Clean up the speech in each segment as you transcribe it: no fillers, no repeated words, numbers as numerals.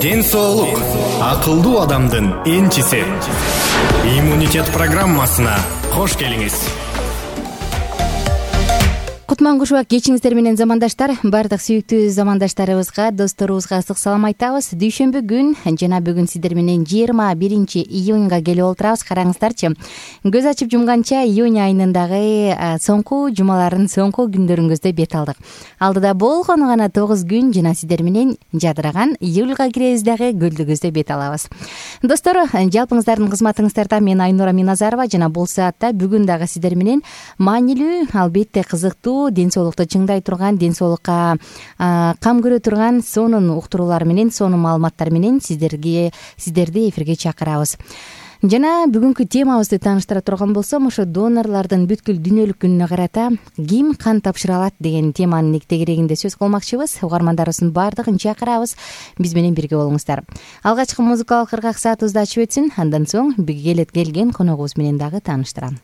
Ден соолук акылдуу адамдын энчиси. Иммунитет программасына кош келиңиз. Кутман кушубак кечиңиздер менен замандаштар, бардык сүйүктүү замандаштарыбызга, досторубузга ысык салам айтабыз. Дүйшөмбү күн жана бүгүн сиздер менен 21 июнга келип олтурабыз. Караңыздарчы, көз ачып жумганча июнь айынындагы соңку жумалардын соңку күндөрүңүздө бет алдык. Алдыда болгону гана 9 күн жана сиздер менен жадыраган июлга киребиз дагы көлдөгүздө бет алабыз. Достор, жалпыңыздардын кызматыңыздарда мен Айнура Миназарова жана бул саатта бүгүн дагы сиздер менен маанилүү, албетте кызыктуу, ден соолукту чыңдай турган, ден соолукка кам көрө турган сонун уктуруулар менен, сонун маалыматтар менен сиздерди эфирге чакырабыз. Жана бүгүнкү темабызды тааныштыра турган болсом, ошо донорлордун бүткүл дүйнөлүк күнүнө карата ким кан тапшыра алат деген теманын тегерегинде сөз кылмакчыбыз. Угармандарыбыздын баардыгын чакырабыз, биз менен бирге болуңуздар. Алгачкы музыкалык кыргак саатыбызды ачып өтсүн, андан соң келген коногубуз менен дагы тааныштырам.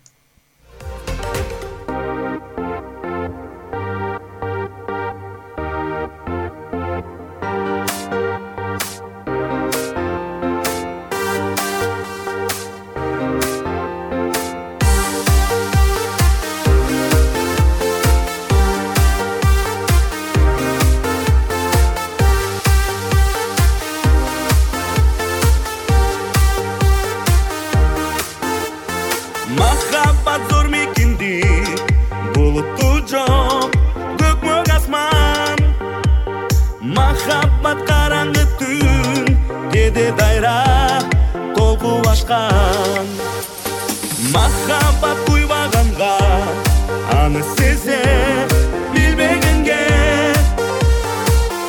Махаббат куйбаганга аны сезе билбегенге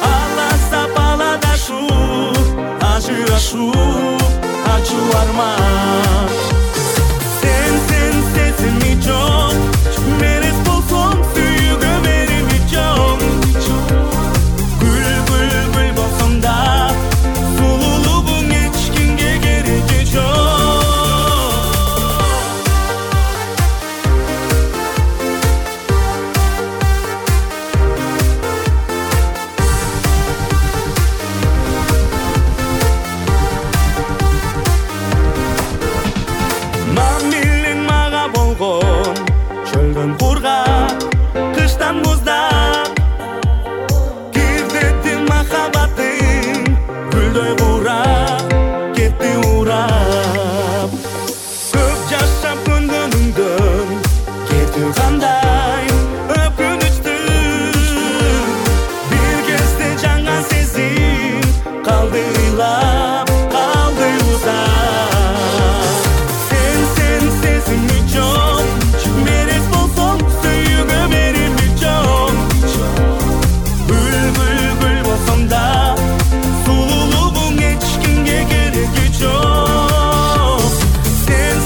аласа баладашу ажырашу ачуу арман сен сезими жок мерез болсоң сүйүүгө мерими жок гүл болсоң да сулуулугуң эч кимге кереги жок. Çölden kurgak, kıştan muzdak Girdettin mahabbatin Gülдөй kurap, ketти urap Köp yaşap көндөнүңдөн Кетүү кандай өкүнүчтүү Бир кезде жаңа сезим Калды ыйлап, калды узап Sen сезими жок мерез болсоң сүйүүгө мерими жок Гүл болсоң да сулуулугуң эч кимге кереги жок Sen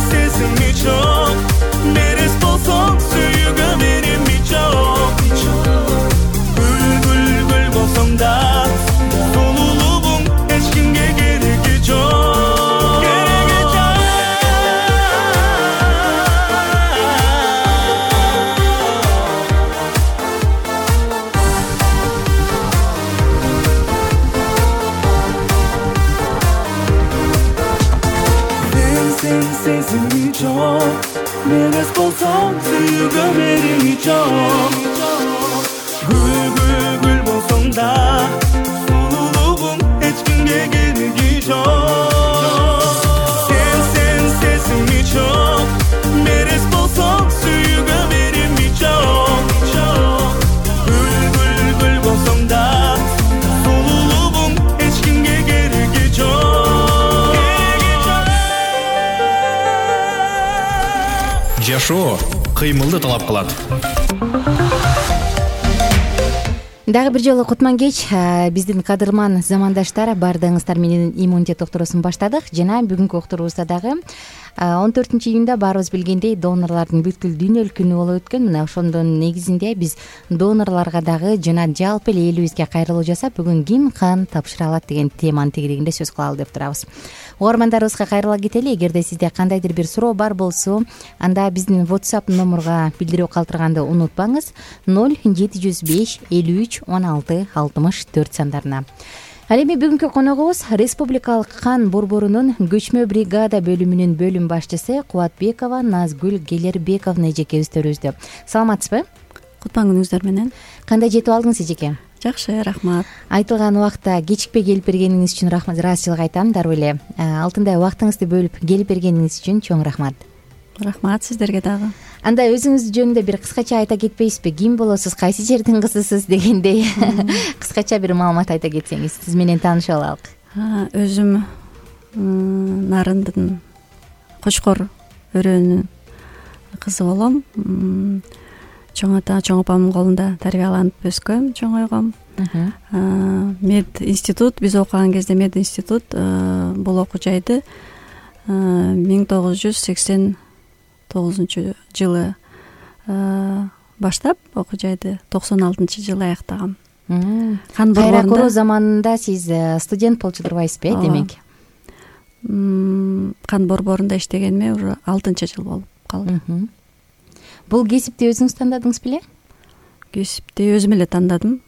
сезими жок мерез болсоң сүйүүгө мерими жок Гүл болсоң да сулуулугуң эч кимге кереги жок. Сезими жок мерез болсоң сүйүүгө мерими жок Гүл болсоң да сулуулугуң эч кимге кереги жок Sen сезими жок мерез болсоң сүйүүгө мерими жок Гүл болсоң да сулуулугуң эч кимге кереги жок. Жашоо кыймылды талап кылат. Дагы бир жолу кутман кеч, биздин кадырман замандаштар, баардыгыңыздар менен иммунитет доктурусун баштадык жана бүгүнкү доктурубузда дагы 14-июнда баарыбыз билгендей донорлордун бүткүл дүйнөлүк күнү болуп өткөн. Мына ошондон негизинде биз донорлорго дагы жана жалпы эле элибизге кайрылуу жасап, бүгүн ким кан тапшыра алат деген теманын тегерегинде сөз кылалы деп турабыз. Угармандарыбызга кайрыла кетели. Эгерде сизде кандайдыр бир суроо бар болсо, анда биздин WhatsApp номурга билдирүү калтырганды унутпаңыз. 0705 53 16 64 сандарына. Ал эми бүгүнкү коногубуз Республикалык кан борборунун көчмө бригада бөлүмүнүн бөлүм башчысы Кубатбекова Назгүл Келербековна эжекебиздөрүбүздө. Саламатсызбы? Кутман күнүңүздөр менен. Кандай жетип алдыңыз эжеке? Жакшы, рахмат. Айтылган убакта кечикпей келип бергениңиз үчүн ыраазычылык айтам. Дароо эле алтындай убактыңызды бөлүп келип бергениңиз үчүн чоң рахмат. Рахмат сиздерге дагы. Анда өзүңүз жөнүндө бир кыскача айта кетпейсизби? Ким болосуз, кайсы жердин кызысыз дегендей кыскача бир маалымат айта кетсеңиз, сиз менен таанышып алалык. Өзүм Нарындын Кочкор өрөөнүн кызы болом. Чоң ата, чоң апамдын колунда тарбияланып өскөм, чоңойгом. Мед институт, биз окуган кезде мед институт бул окуу жайды 1989 жылы баштап окуу жайды 96-жылы аяктагам. Кайра куруу заманында сиз студент болчу турбайсызбы, демек? Кан борборунда иштегениме уже 6-жыл болуп калды. Бул кесипти өзүңүз тандадыңыз беле? Кесипти өзүм эле тандадым.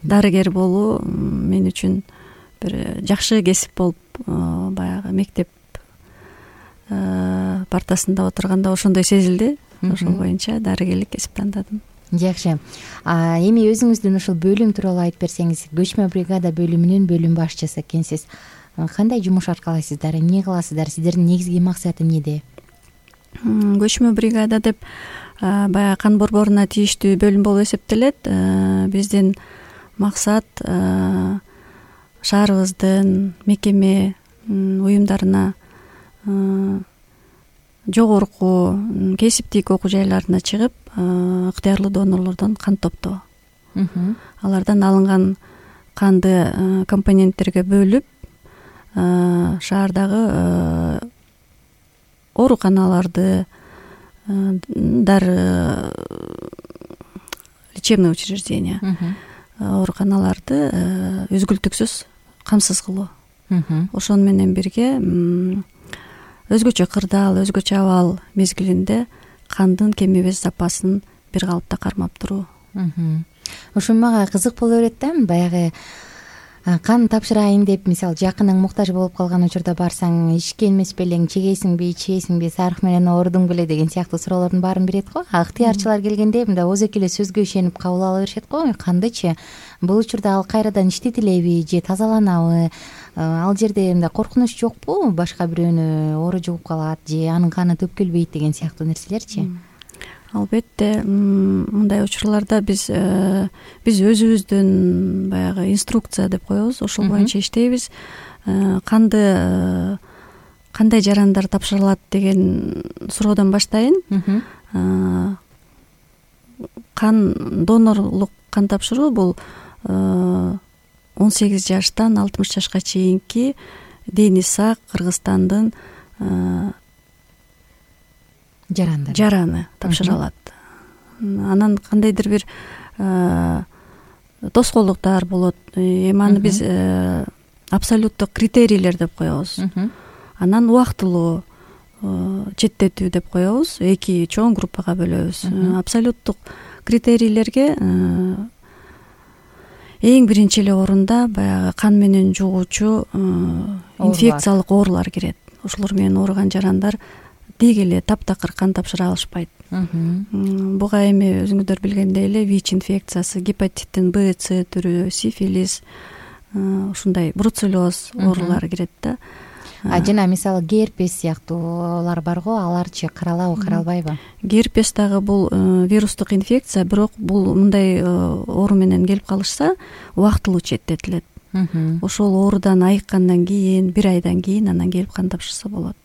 Дарыгер болуу мен үчүн бир жакшы кесип болуп, баягы мектеп партасында отурганда ошондой сезилди. Ошол боюнча дарыгерлик кесип тандадым. Жакшы. Эми өзүңүздүн ушул бөлүм тууралуу айтып берсеңиз, көчмө бригада бөлүмүнүн бөлүм башчысы экенсиз. Кандай жумуш аркалайсыздар, эмне кыласыздар, сиздердин негизги максаты эмнеде? Көчмө бригада деп баягы кан борборуна тийиштүү бөлүм болуп эсептелет. Биздин максат шаарыбыздын мекеме уюмдарына, жогорку кесиптик окуу жайларына чыгып, ыктыярлуу донорлордон кан топтоо. Алардан алынган канды компоненттерге бөлүп, шаардагы ооруканаларды, лечебный учреждения, ооруканаларды үзгүлтүксүз камсыз кылуу. Ошону менен бирге өзгөчө кырдаал, өзгөчө абал мезгилинде кандын кем эмес запасын бир калыпта кармап туруу. Ошо мага кызык боло берет да, баягы кан тапшырайын деп, мисалы, жакының муктаж болуп калган учурда барсаң, ичкен эмес белең, чегесиңби, ичесиңби, сарык менен оорудуң беле деген сыяктуу суроолордун баарын берет го. Ыктыярчылар келгенде мындай ооз эле сөзгө ишенип кабыл ала беришет го. Кандычы бул учурда ал кайрадан иштетилеби же тазаланабы? Ал жерде мындай коркунуч жокпу? Башка бирөөнү оору жугуп калат же анын каны төккөлбөйт деген сыяктуу нерселерчи? Албетте, мындай учурларда биз өзүбүздүн баягы инструкция деп коебуз, ошол боюнча иштейбиз. Кандай жарандар тапшырылат деген суроодон баштайын. Донорлук кан тапшыруу бул 18 жаштан 60 жашка чейинки дени сак Кыргызстандын жараны тапшыра алат. Анан кандайдыр бир тоскоолдуктар болот. Эми аны биз абсолюттук критерийлер деп коебуз. Анан убактылуу четтетүү деп коебуз. 2 чоң группага бөлөбүз. Абсолюттук критерийлерге эң биринчи эле орунда баягы кан менен жугуучу инфекциялык оорулар кирет. Ошолор менен ооруган жарандар деги эле таптакыр кан тапшыра алышпайт. Буга эми өзүңүздөр билгендей эле ВИЧ инфекциясы, гепатиттин Б, С түрү, сифилис, ушундай бруцеллез оорулар кирет да. Жана мисалы герпес сыяктуулар бар го, аларчы каралабы, каралбайбы? Герпес дагы бул вирустук инфекция, бирок бул мындай оору менен келип калышса, убактылуу четтетилет. Ошол оорудан айыккандан кийин, 1 айдан кийин анан келип кан тапшырса болот.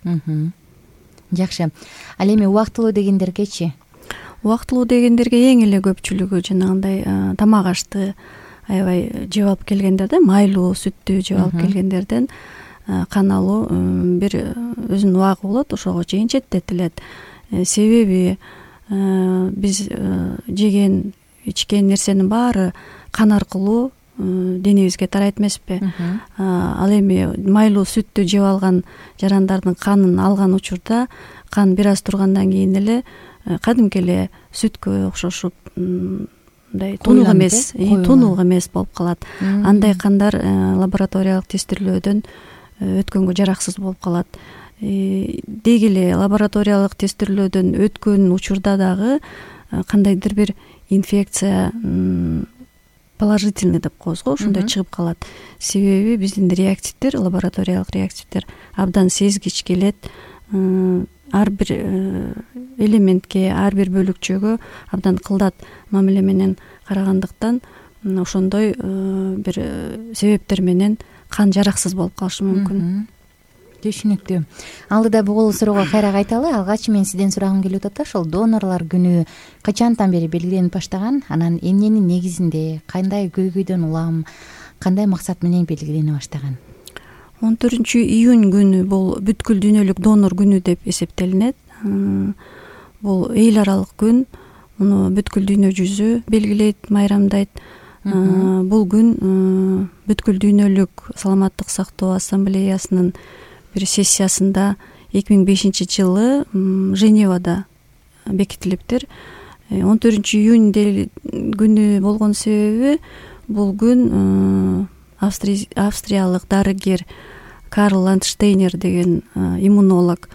Жакшы. Ал эми убактылуу дегендергечи? Убактылуу дегендерге эң эле көпчүлүгү жанагындай тамак ашты аябай жеп алып келгендер да, майлуу, сүттү жеп алып келгендерден кан алуу бир өзүнүн убагы болот, ошого чейин четтетилет. Себеби биз жеген, ичкен нерсенин баары кан аркылуу денебизге тарайт эмеспи? Ал эми майлуу сүттү жеп алган жарандардын канын алган учурда кан бир аз тургандан кийин эле кадимки эле сүткө окшошуп мындай тунук эмес болуп калат. Андай кандар лабораториялык тестирлөөдөн өткөнгө жараксыз болуп калат. Деги эле лабораториялык тестирлөөдөн өткөн учурда дагы кандайдыр бир инфекция положительный деп коебуз го, ошондой чыгып калат. Себеби биздин реактивдер, лабораториялык реактивдер абдан сезгич келет. Ар бир элементке, ар бир бөлүкчөгө абдан кылдат мамиле менен карагандыктан ошондой бир себептер менен кан жараксыз болуп калышы мүмкүн. Түшүнүктүү. Алдыда бул суроого кайра кайталы. Алгач мен сизден сурагым келип атат. Ошол донорлор күнү качантан бери белгиленип баштаган? Анан эмненин негизинде, кандай көйгөйдөн улам, кандай максат менен белгилене баштаган? 14-июнь күнү бул бүткүл дүйнөлүк донор күнү деп эсептелинет. Бул эл аралык күн. Муну бүткүл дүйнө жүзү белгилейт, майрамдайт. Бул күн бүткүл дүйнөлүк саламаттык сактоо ассамблеясынын бир сессиясында 2005-жылы Женевада бекитилиптир. 14-июнь күнү болгон себеби бул күн австриялык дарыгер Карл Ландштейнер деген иммунолог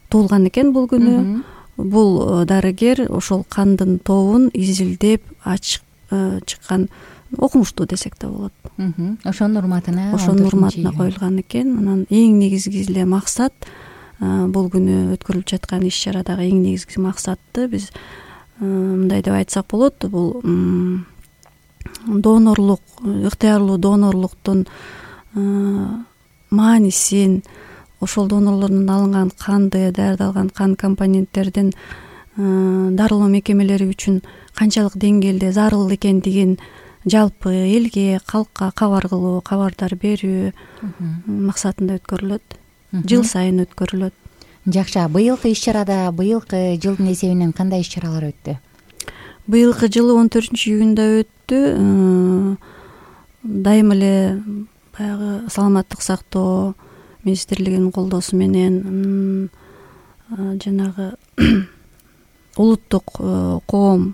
туулган экен бул күнү. Бул дарыгер ошол кандын тобун изилдеп чыккан, окумуштуу десек да болот. Ошонун урматына коюлган экен. Анан эң негизги эле максат бул күнү өткөрүлүп жаткан иш чарадагы эң негизги максаты биз мындай деп айтсак болот. Бул донорлук, ыктыярлуу донорлуктун маанисин, ошол донорлордон алынган канды, даярдалган кан компоненттердин дарылоо мекемелери үчүн канчалык деңгээлде зарыл экендигин жалпы элге, калкка кабар кылуу, кабардар берүү максатында өткөрүлөт. Жыл сайын өткөрүлөт. Жакшы. Быйылкы иш-чарада, быйылкы жылдын эсебинен кандай иш-чаралар өттү? Быйылкы жылы 14-июнда өттү. Дайым эле баягы саламаттык сактоо министрлигинин колдоосу менен жанагы улуттук коом,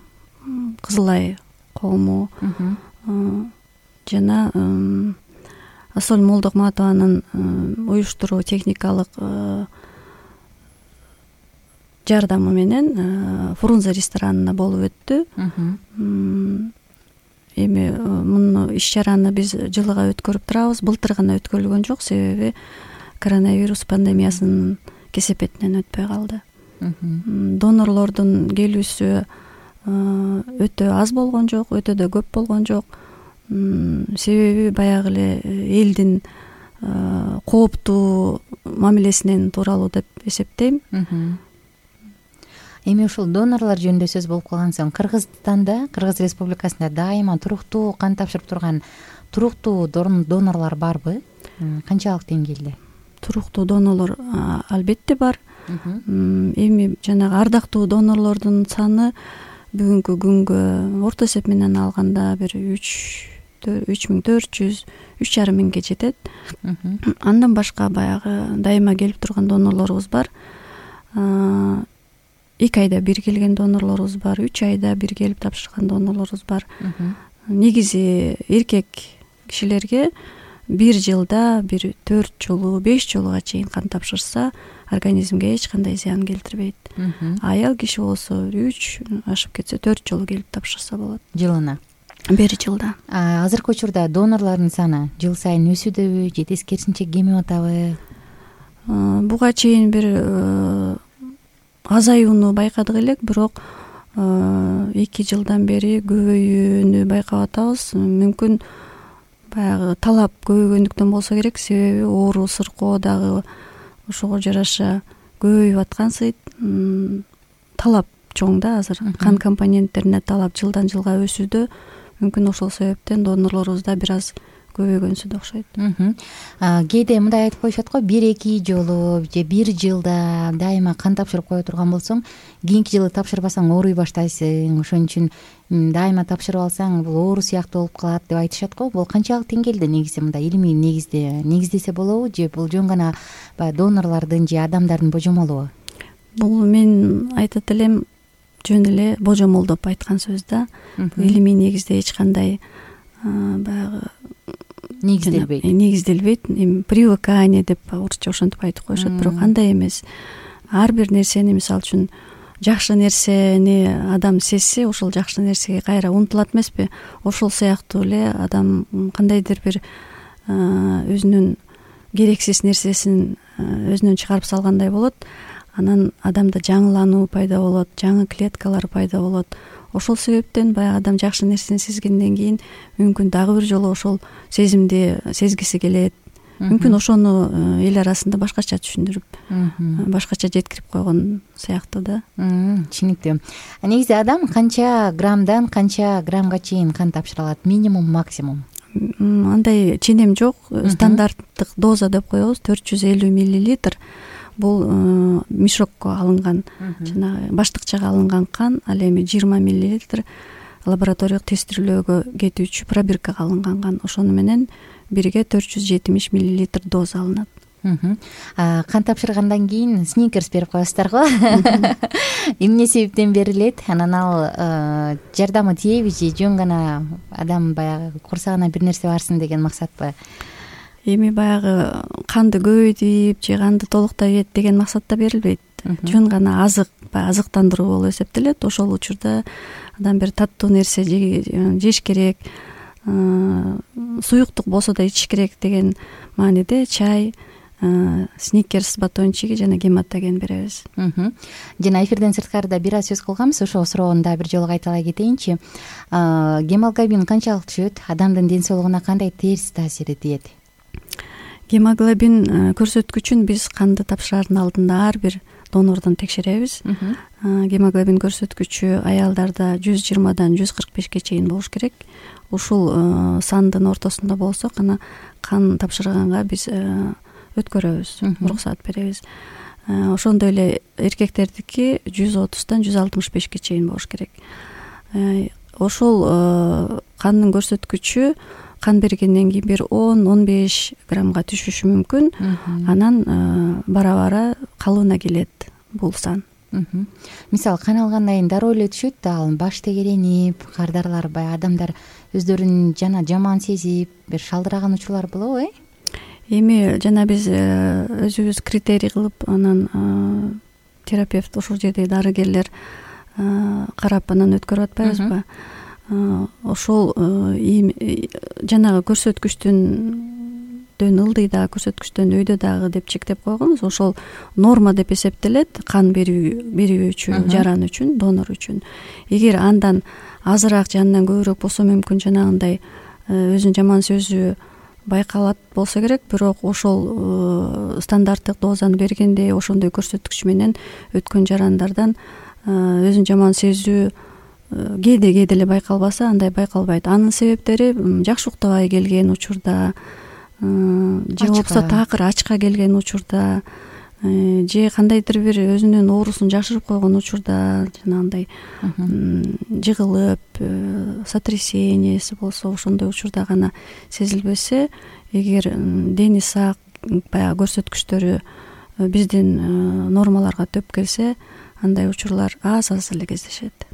Кызыл Ай коому жана Асоль Молдокматованын уюштуруу техникалык жардамы менен Фрунзе ресторанына болуп өттү. Эми муну иш-чараны биз жылыга өткөрүп турабыз. Былтыр гана өткөрүлгөн жок, себеби коронавирус пандемиясынын кесепетинен өтпөй калды. Донорлордун келүүсү өтө аз болгон жок, өтө да көп болгон жок. Себеби баягы эле элдин кооптуу мамилесинен тууралуу деп эсептейм. Эми ушул донорлор жөнүндө сөз болуп калган соң, Кыргызстанда, Кыргыз Республикасында дайыма туруктуу кан тапшырып турган туруктуу донорлор барбы? Канчалык деңгээлде? Туруктуу донорлор албетте бар. Эми жанагы ардактуу донорлордун саны бүгүнкү күнгө орто эсеп менен алганда бир 3400, 3,5 миңге жетет. Андан башка баягы дайыма келип турган донорлорубуз бар. 2 айда бир келген донорлорубуз бар, 3 айда бир келип тапшырган донорлорубуз бар. Негизи эркек кишилерге бир жылда бир 4 жолу, 5 жолуга чейин кан тапшырса, организмге эч кандай зыян келтирбейт. Аял киши болсо 3, ашып кетсе 4 жолу келип тапшырса болот. Жылына? Бир жылда. Азыркы учурда донорлордун саны жыл сайын өсүүдөбү же тескерисинче кемип атабы? Буга чейин бир азаюуну байкадык элек, бирок 2 жылдан бери көбөйүүнү байкап атабыз. Мүмкүн баягы талап көбөйгөндүктөн болсо керек, себеби оору сыркоо дагы ошого жараша көбөйүп аткансыйт. Талап чоң да азыр. Кан компоненттерине талап жылдан жылга өсүүдө. Мүмкүн ошол себептен донорлорубуз да бир аз көбөйгөнсү да окшойт. Кээде мындай айтып коюшат го, 1-2 жолу же бир жылда дайыма кан тапшырып кое турган болсоң, кийинки жылы тапшырбасаң ооруй баштайсың. Ошон үчүн дайыма тапшырып алсаң, бул оору сыяктуу болуп калат деп айтышат го. Бул канчалык деңгээлде негизи мындай илимий негиздесе болобу же бул жөн гана баягы донорлордун же адамдардын божомолубу? Бул мен айтат элем, жөн эле божомолдоп айткан сөз да. Илимий негизде эч кандай баягы негизделбейт. Привыкание деп орусча ошентип айтып коюшат, бирок андай эмес. Ар бир нерсени, мисалы үчүн жакшы нерсени адам сезсе, ошол жакшы нерсеге кайра умтулат эмеспи? Ошол сыяктуу эле адам кандайдыр бир өзүнүн керексиз нерсесин өзүнөн чыгарып салгандай болот. Анан адамда жаңылануу пайда болот, жаңы клеткалар пайда болот. Ошол себептен баягы адам жакшы нерсени сезгенден кийин мүмкүн дагы бир жолу ошол сезимди сезгиси келет. Мүмкүн ошону эл арасында башкача түшүндүрүп, башкача жеткирип койгон сыяктуу да. Түшүнүктүү. Негизи адам канча граммдан канча граммга чейин кан тапшыра алат? Минимум, максимум? Андай ченем жок. Стандарттык доза деп коебуз 450 миллилитр. Бул мешокко алынган, жанагы баштыкчага алынган кан. Ал эми 20 миллилитр лабораториялык тестирлөөгө кетүүчү пробиркага алынган кан. Ошону менен бирге 470 миллилитр доза алынат. Кан тапшыргандан кийин сникерс берип коесуздарго? Эмне себептен берилет? Анан ал жардамы тийеби же жөн гана адам баягы курсагына бир нерсе барсын деген максатпы? Эми баягы канды көбөйтүп же канды толуктай ийет деген максатта берилбейт. Жөн гана азык, азыктандыруу болуп эсептелет. Ошол учурда адам бир таттуу нерсе жеш керек, суюктук болсо да ичиш керек деген мааниде чай, сникерс батончиги жана гематоген беребиз. Жана эфирден сырткарыда бир аз сөз кылганбыз, ошол суроону да бир жолу кайталай кетейинчи. Гемоглобин канчалык түшөт? Адамдын ден соолугуна кандай терс таасири тиет? Гемоглобин көрсөткүчүн биз канды тапшырардын алдында ар бир донордон текшеребиз. Гемоглобин көрсөткүчү аялдарда 120дан 145ке чейин болуш керек. Ушул сандын ортосунда болсо гана кан тапшырганга биз өткөрөбүз, уруксаат беребиз. Ошондой эле эркектердики 130дан 165ке чейин болуш керек. Ошол кандын көрсөткүчү кан бергенден кийин бир 10-15 граммга түшүшү мүмкүн. Анан бара-бара калыбына келет бул сан. Мисалы кан алгандан кийин дароо эле түшөт да, ал баш тегеренип, кардарлар баягы адамдар өздөрүн жаман сезип, бир шалдыраган учурлар болобу? Эми жана биз өзүбүз критерий кылып, анан терапевт, ошол жердеги дарыгерлер карап анан өткөрүп атпайбызбы? Ошол жанагы көрсөткүчтөн ылдый дагы, көрсөткүчтөн өйдө дагы деп чектеп койгонбуз. Ошол норма деп эсептелет кан берүүчү жаран үчүн, донор үчүн. Эгер андан азыраак же андан көбүрөөк болсо мүмкүн жанагындай өзүнүн жаман сөзү байкалат болсо керек, бирок ошол стандарттык дозаны бергенде ошондой көрсөткүч менен өткөн жарандардан өзүнүн жаман сезүү кээде эле байкалбаса, андай байкалбайт. Анын себептери жакшы уктабай келген учурда, же болбосо такыр ачка келген учурда, же кандайдыр бир өзүнүн оорусун жашырып койгон учурда, жанагындай жыгылып, сотрясениеси болсо, ошондой учурда гана сезилбесе, эгер дени сак, баягы көрсөткүчтөрү биздин нормаларга төп келсе, андай учурлар аз эле кездешет.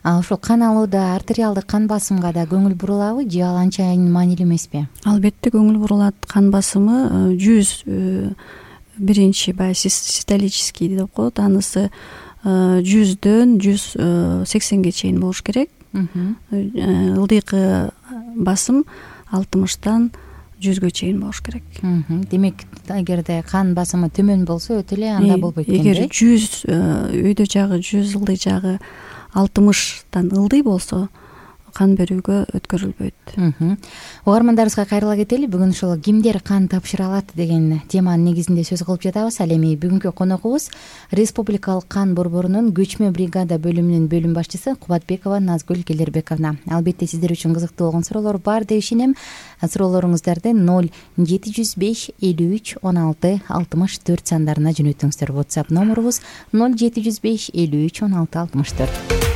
Ошол кан алууда артериалдык кан басымга да көңүл бурулабы же ал анчайын маанилүү эмеспи? Албетте көңүл бурулат. Кан басымы 100 биринчи баягы систолический деп коет, анысы 100дөн 180ге чейин болуш керек. Ылдыйкы басым 60тан 100гө чейин болуш керек. Демек, эгерде кан басымы төмөн болсо өтө эле анда болбойт экен. Эгер 100 өйдө жагы, 100 ылдый жагы 60тан ылдый болсо, кан берүүгө өткөрүлбөйт. Угармандарыбызга кайрыла кетели. Бүгүн ушул кимдер кан тапшыра алат деген теманын негизинде сөз кылып жатабыз. Ал эми бүгүнкү коногубуз Республикалык кан борборунун көчмө бригада бөлүмүнүн бөлүм башчысы Кубатбекова Назгүл Келербековна. Албетте сиздер үчүн кызыктуу болгон суроолор бар деп ишенем. Суроолоруңуздарды 0705 53 16 64 сандарына жөнөтүңүздөр. WhatsApp номерубуз 0705 53 16 64.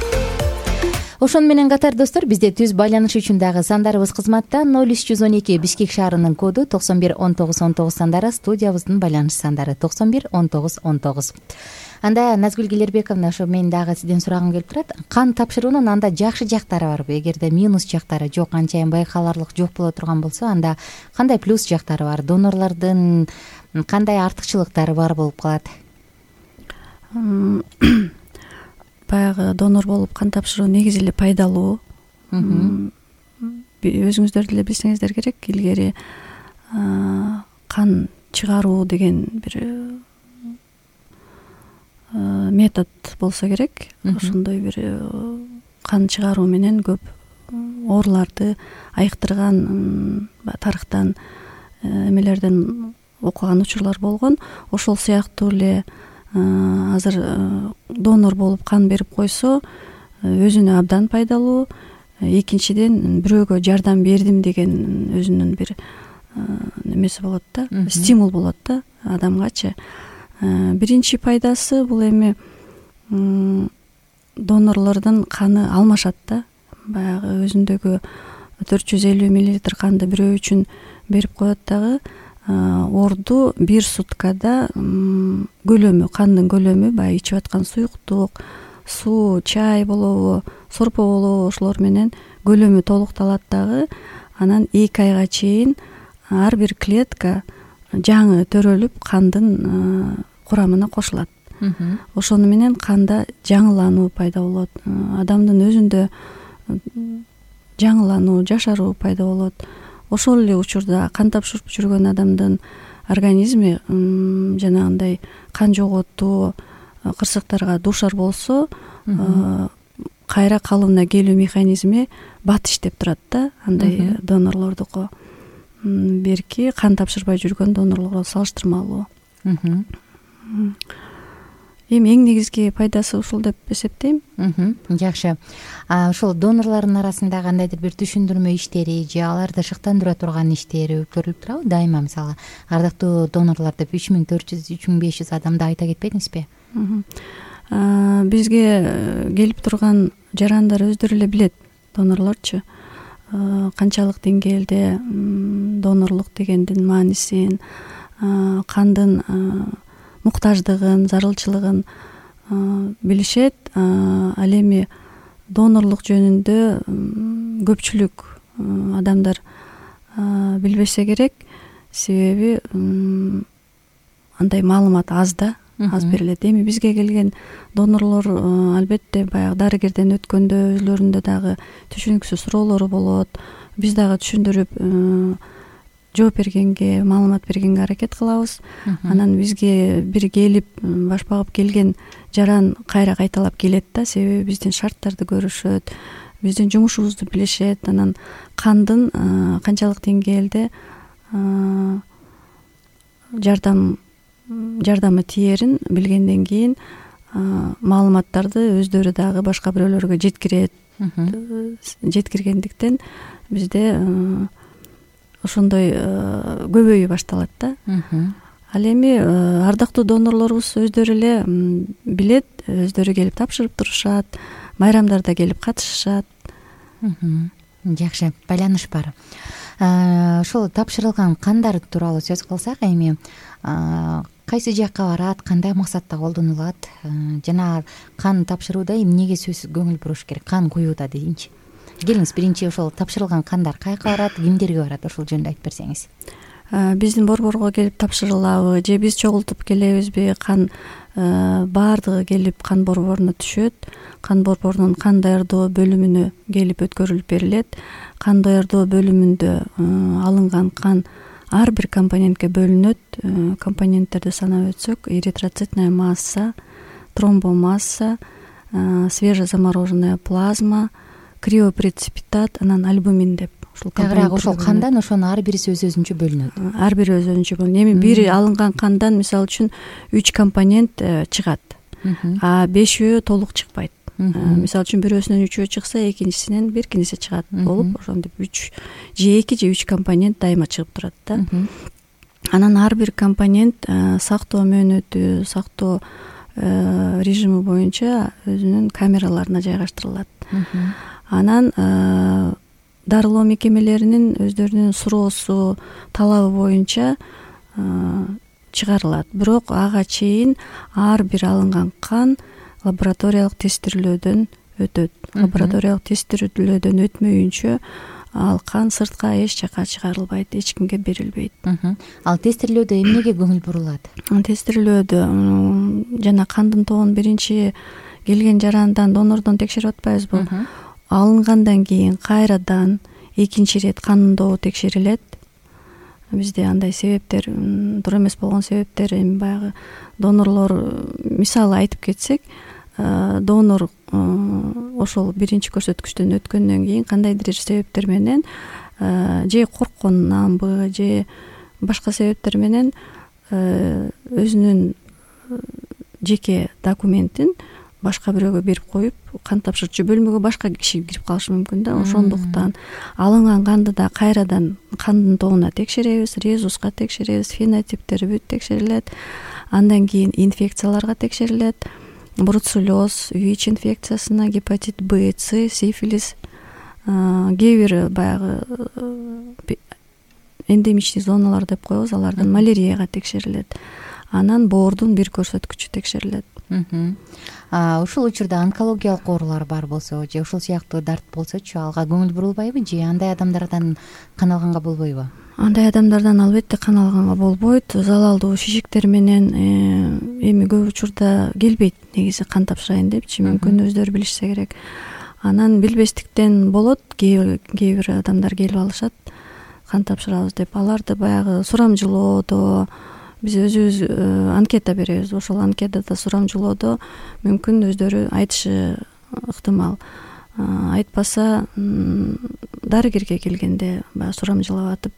Ошону менен катар достор, бизде түз байланыш үчүн дагы сандарыбыз кызматта. 0312 Бишкек шаарынын коду 91 19 19 сандары, студиябыздын байланыш сандары 91 19 19. Анда Назгүл Келербековна, ошо мен дагы сизден сурагым келип турат. Кан тапшыруунун анда жакшы жактары барбы? Эгерде минус жактары жок, анчайын байкаларлык жок боло турган болсо, анда кандай плюс жактары бар? Донорлордун кандай артыкчылыктары бар болуп калат? Баягы донор болуп кан тапшыруу негизи эле пайдалуу. Өзүңүздөр деле билсеңиздер керек, илгери кан чыгаруу деген бир метод болсо керек. Ошондой бир кан чыгаруу менен көп ооруларды айыктырган тарыхтан эмелерден окуган учурлар болгон. Ошол сыяктуу эле азыр донор болуп кан берип койсо өзүнө абдан пайдалуу. Экинчиден, бирөөгө жардам бердим деген өзүнүн бир немеси болот да, стимул болот да адамгачы. Биринчи пайдасы бул эми донорлордун каны алмашат да. Баягы өзүндөгү 450 мл канды бирөө үчүн берип коет дагы, орду бир суткада көлөмү, кандын көлөмү, баягы ичип аткан суюктук, суу, чай болобу, сорпо болобу, ошолор менен көлөмү толукталат дагы. Анан 2 айга чейин ар бир клетка жаңы төрөлүп кандын курамына кошулат. Ошону менен канда жаңылануу пайда болот. Адамдын өзүндө жаңылануу, жашаруу пайда болот. Ошол эле учурда кан тапшырып жүргөн адамдын организми жанагындай кан жоготуу кырсыктарга дуушар болсо, кайра калыбына келүү механизми бат иштеп турат да. Андай донорлордуку берки кан тапшырбай жүргөн донорлорго салыштырмалуу. Эми эң негизги пайдасы ушул деп эсептейм. Жакшы. Ошол донорлордун арасында кандайдыр бир түшүндүрмө иштери же аларды шыктандыра турган иштери көрүлүп турабы? Дайыма мисалы ардактуу донорлор деп 3400, 3500 адамды айта кетпедиңизби? Бизге келип турган жарандар өздөрү эле билет, донорлорчу, канчалык деңгээлде донорлук дегендин маанисин, кандын муктаждыгын, зарылчылыгын билишет. Ал эми донорлук жөнүндө көпчүлүк адамдар билбесе керек, себеби андай маалымат аз да, аз берилет. Эми бизге келген донорлор албетте баягы дарыгерден өткөндө өзлөрүндө дагы түшүнүксүз суроолору болот. Биз дагы түшүндүрүп жооп бергенге, маалымат бергенге аракет кылабыз. Анан бизге бир келип баш багып келген жаран кайра кайталап келет да, себеби биздин шарттарды көрүшөт, биздин жумушубузду билишет. Анан кандын канчалык деңгээлде жардамы тиерин билгенден кийин маалыматтарды өздөрү дагы башка бирөөлөргө жеткиргендиктен бизде ошондой көбөйүү башталат да. Ал эми ардактуу донорлорубуз өздөрү эле билет, өздөрү келип тапшырып турушат, майрамдарда келип катышышат. Жакшы, байланыш бар. Ошол тапшырылган кандар тууралуу сөз кылсак, эми кайсы жакка барат, кандай максатта колдонулат? Жана кан тапшырууда эмнеге сөзсүз көңүл буруш керек? Кан куюуда дейинчи. Келиңиз, биринчи ошол тапшырылган кандар кайка барат, кимдерге барат, ошол жөнүндө айтып берсеңиз. Биздин борборго келип тапшырылабы же биз чогултуп келебизби? Кан баардыгы келип кан борборуна түшөт. Кан борборунун кан даярдоо бөлүмүнө келип өткөрүлүп берилет. Кан даярдоо бөлүмүндө алынган кан ар бир компонентке бөлүнөт. Компоненттерди санап өтсөк, эритроцитная масса, тромбомасса, свежезамороженная плазма, криопреципитат, анан альбумин деп ушул компонент. Ошол кандан ошонун ар бириси өз-өзүнчө бөлүнөт. Ар бири өз-өзүнчө бөлүнөт. Эми бири алынган кандан мисалы үчүн 3 компонент чыгат, а 5-өө толук чыкпайт. Мисалы үчүн бирөөсүнөн 3-өө чыкса, экинчисинен биркинеси чыгат болуп, ошондой 3 же 2 же 3 компонент дайыма чыгып турат да. Анан ар бир компонент сактоо мөөнөтү, сактоо режими боюнча өзүнүн камераларына жайгаштырылат. Анан дарылоо мекемелеринин өздөрүнүн суроосу, талабы боюнча чыгарылат. Бирок ага чейин ар бир алынган кан лабораториялык тестирлөөдөн өтөт. Лабораториялык тестирлөөдөн өтмөйүнчө ал кан сыртка эч жака чыгарылбайт, эч кимге берилбейт. Ал тестирлөөдө эмнеге көңүл бурулат? Тестирлөөдө жана кандын тобун биринчи келген жарандан, донордон текшерип атпайбызбы? Алынгандан кийин кайрадан экинчи ирет кандын тобу текшерилет. Бизде андай себептер, туура эмес болгон себептер, эми баягы донорлор, мисалы айтып кетсек, донор ошол биринчи көрсөткүчтөн өткөндөн кийин кандайдыр бир себептер менен же коркконунанбы, же башка себептер менен өзүнүн жеке документин башка бирөөгө берип коюп, кан тапшырчу бөлмөгө башка киши кирип калышы мүмкүн да. Ошондуктан алынган канды да кайрадан кандын тобуна текшеребиз, резуска текшеребиз, фенотиптери бүт текшерилет. Андан кийин инфекцияларга текшерилет. Бруцеллез, ВИЧ инфекциясына, гепатит Б, С, сифилис, кээ бир баягы эндемичный зоналар деп коебуз, алардан малярияга текшерилет. Анан боордун бир көрсөткүчү текшерилет. Ушул учурда онкологиялык оорулар бар болсо, же ушул сыяктуу дарт болсочу, алга көңүл бурулбайбы, же андай адамдардан кан алганга болбойбу? Андай адамдардан албетте кан алганга болбойт. Залалдуу шишиктер менен эми көп учурда келбейт негизи кан тапшырайын депчи, мүмкүн өздөрү билишсе керек. Анан билбестиктен болот, кээ бир адамдар келип алышат кан тапшырабыз деп. Аларды баягы сурамжылоодо биз өзүбүз анкета беребиз. Ошол анкетада сурамжылоодо мүмкүн өздөрү айтышы ыктымал. Айтпаса дарыгерге келгенде баягы сурамжылап атып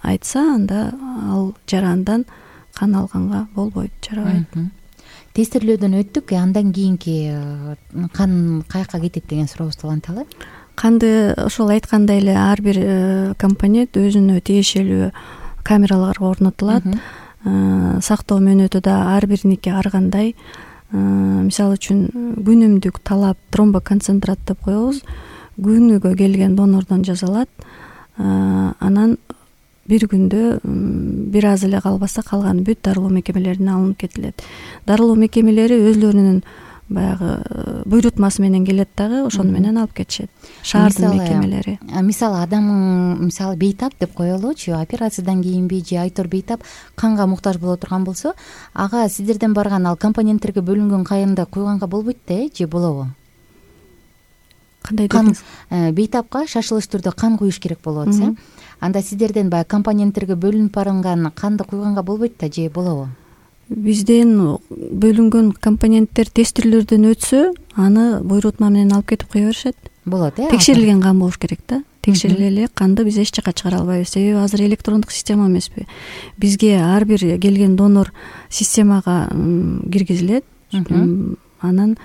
айтса, анда ал жарандан кан алганга болбойт, жарабайт. Тестирлөөдөн өттүк, андан кийинки кан каяка кетет деген сурообузду уланталы. Канды ошол айткандай эле ар бир компонент өзүнө тиешелүү камераларга орнотулат. Сактоо мөөнөтү да ар бириники ар кандай. Мисалы үчүн күнүмдүк талап тромбоконцентрат деп коебуз. Күнүгө келген донордон жасалат. Анан бир күндө бир аз эле калбаса калган бүт дарылоо мекемелерине алынып кетилет. Дарылоо мекемелери өзлөрүнүн баягы буйрутмасы менен келет дагы, ошону менен алып кетишет. Шаардын мекемелери. Мисалы адам бейтап деп коелучу, операциядан кийинби же айтор бейтап канга муктаж боло турган болсо, ага сиздерден барган ал компоненттерге бөлүнгөн кайында куйганга болбойт да, же болобу? Кандай дедиңиз? Бейтапка шашылыш түрдө кан куюш керек болуп атса, анда сиздерден баягы компоненттерге бөлүнүп барган канды куйганга болбойт да, же болобу? Бизден бөлүнгөн компоненттер тестирлөөдөн өтсө, аны буйрутма менен алып кетип кое беришет. Болот, Текшерилген кан болуш керек да. Текшериле эле канды биз эч жака чыгара албайбыз. Себеби азыр электрондук система эмеспи. Бизге ар бир келген донор системага киргизилет. Анан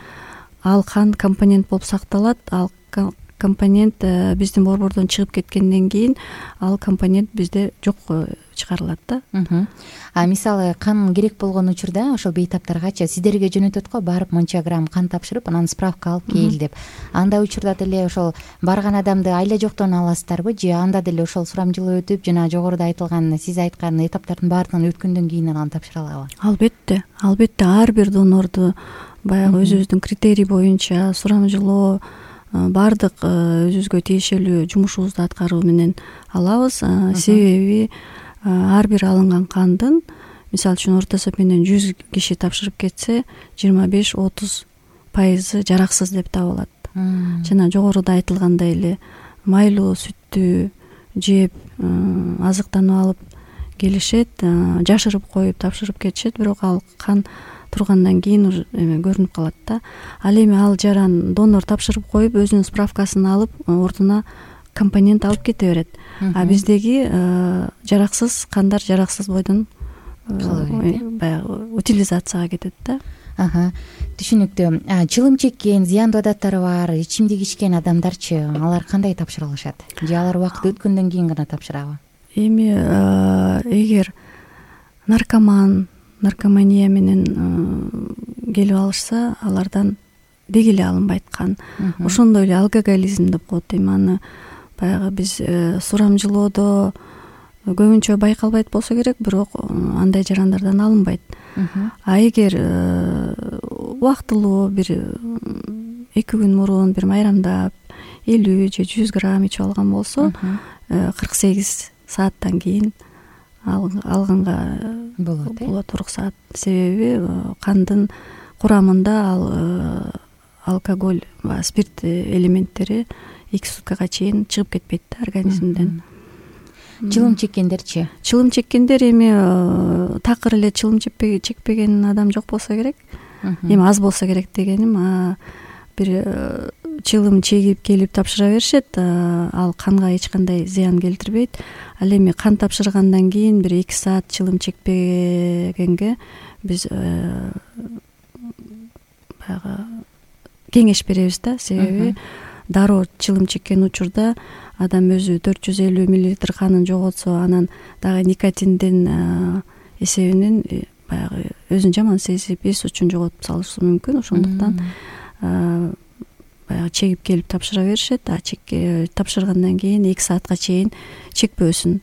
ал кан компонент болуп сакталат. Ал компонент биздин борбордон чыгып кеткенден кийин ал компонент бизде жок чыгарылат да. Мисалы кан керек болгон учурда ошол бейтаптаргачы сиздерге жөнөтөт го, барып мынча грамм кан тапшырып, анан справка алып кел деп. Андай учурда деле ошол барган адамды айла жоктон аласыздарбы, же анда деле ошол сурамжылоо өтүп, жана жогоруда айтылган, сиз айткан этаптардын баардыгын өткөндөн кийин аны тапшыра алабы? Албетте ар бир донорду баягы өзүбүздүн критерий боюнча сурамжылоо, баардык өзүбүзгө тиешелүү жумушубузду аткаруу менен алабыз. Себеби ар бир алынган кандын, мисалы үчүн орто эсеп менен 100 киши тапшырып кетсе, 25-30% жараксыз деп табылат. Жана жогоруда айтылгандай эле майлуу сүттү жеп, азыктанып алып келишет, жашырып коюп тапшырып кетишет, бирок ал кан тургандан кийин уже көрүнүп калат да. Ал эми ал жаран донор тапшырып коюп, өзүнүн справкасын алып, ордуна компонент алып кете берет. А биздеги жараксыз кандар жараксыз бойдон баягы утилизацияга кетет да. Түшүнүктүү. Чылым чеккен, зыяндуу адаттары бар, ичимдик ичкен адамдарчы, алар кандай тапшыра алышат? Же алар убакыт өткөндөн кийин гана тапшырабы? Эми эгер наркомания менен келип алышса, алардан деги эле алынбайт кан. Ошондой эле алкоголизм деп коет эми аны баягы биз сурамжылоодо көбүнчө байкалбайт болсо керек, бирок андай жарандардан алынбайт. А эгер убактылуу бир 2 күн мурун бир майрамдап 50 же 100 грамм ичип алган болсо 48 сааттан кийин алганга болот уруксат. Себеби кандын курамында ал алкоголь, спирт элементтери 2 суткага чейин чыгып кетпейт организмден. Чылым чеккендерчи? Чылым чеккендер эми такыр эле чылым чекпеген адам жок болсо керек. Эми аз болсо керек дегеним, бир чылым чегип келип тапшыра беришет, ал канга эч кандай зыян келтирбейт. Ал эми кан тапшыргандан кийин бир 2 саат чылым чекпегенге биз баягы кеңеш беребиз да. Себеби дароо чылым чеккен учурда адам өзү 450 мл канын жоготсо, анан дагы никотиндин эсебинен баягы өзүн жаман сезип, эс учун жоготуп салышы мүмкүн. Ошондуктан баягы чегип келип тапшыра беришет. Тапшыргандан кийин 2 саатка чейин чекпөөсүн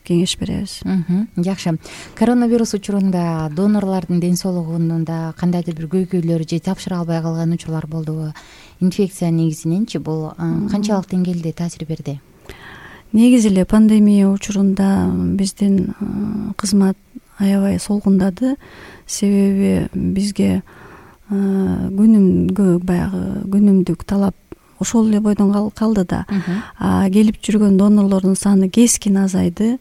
кеңеш беребиз. Жакшы. Коронавирус учурунда донорлордун ден соолугунда кандайдыр бир көйгөйлөр же тапшыра албай калган учурлар болдубу? Инфекция негизиненчи бул канчалык деңгээлде таасир берди? Негизи эле пандемия учурунда биздин кызмат аябай солгундады. Себеби бизге күнүмдүк талап ошол эле бойдон калды да. Келип жүргөн донорлордун саны кескин азайды.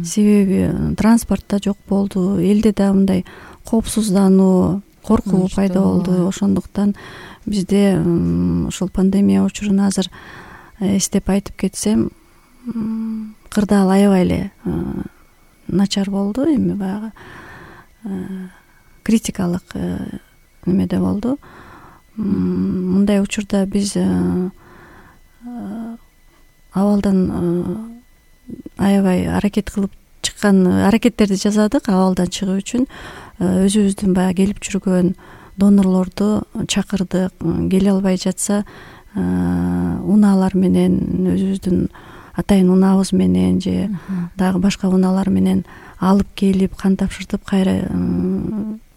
Себеби транспортта жок болду, элде да мындай коопсуздануу, коркуу пайда болду. Ошондуктан бизде ошол пандемия учурун азыр эстеп айтып кетсем, кырдаал аябай эле начар болду. Эми баягы критикалык немеде болду. Мындай учурда биз абалдан аябай аракет кылып чыккан аракеттерди жасадык. Абалдан чыгуу үчүн өзүбүздүн баягы келип жүргөн донорлорду чакырдык. Келе албай жатса унаалар менен, өзүбүздүн атайын унаабыз менен же дагы башка унаалар менен алып келип кан тапшыртып кайра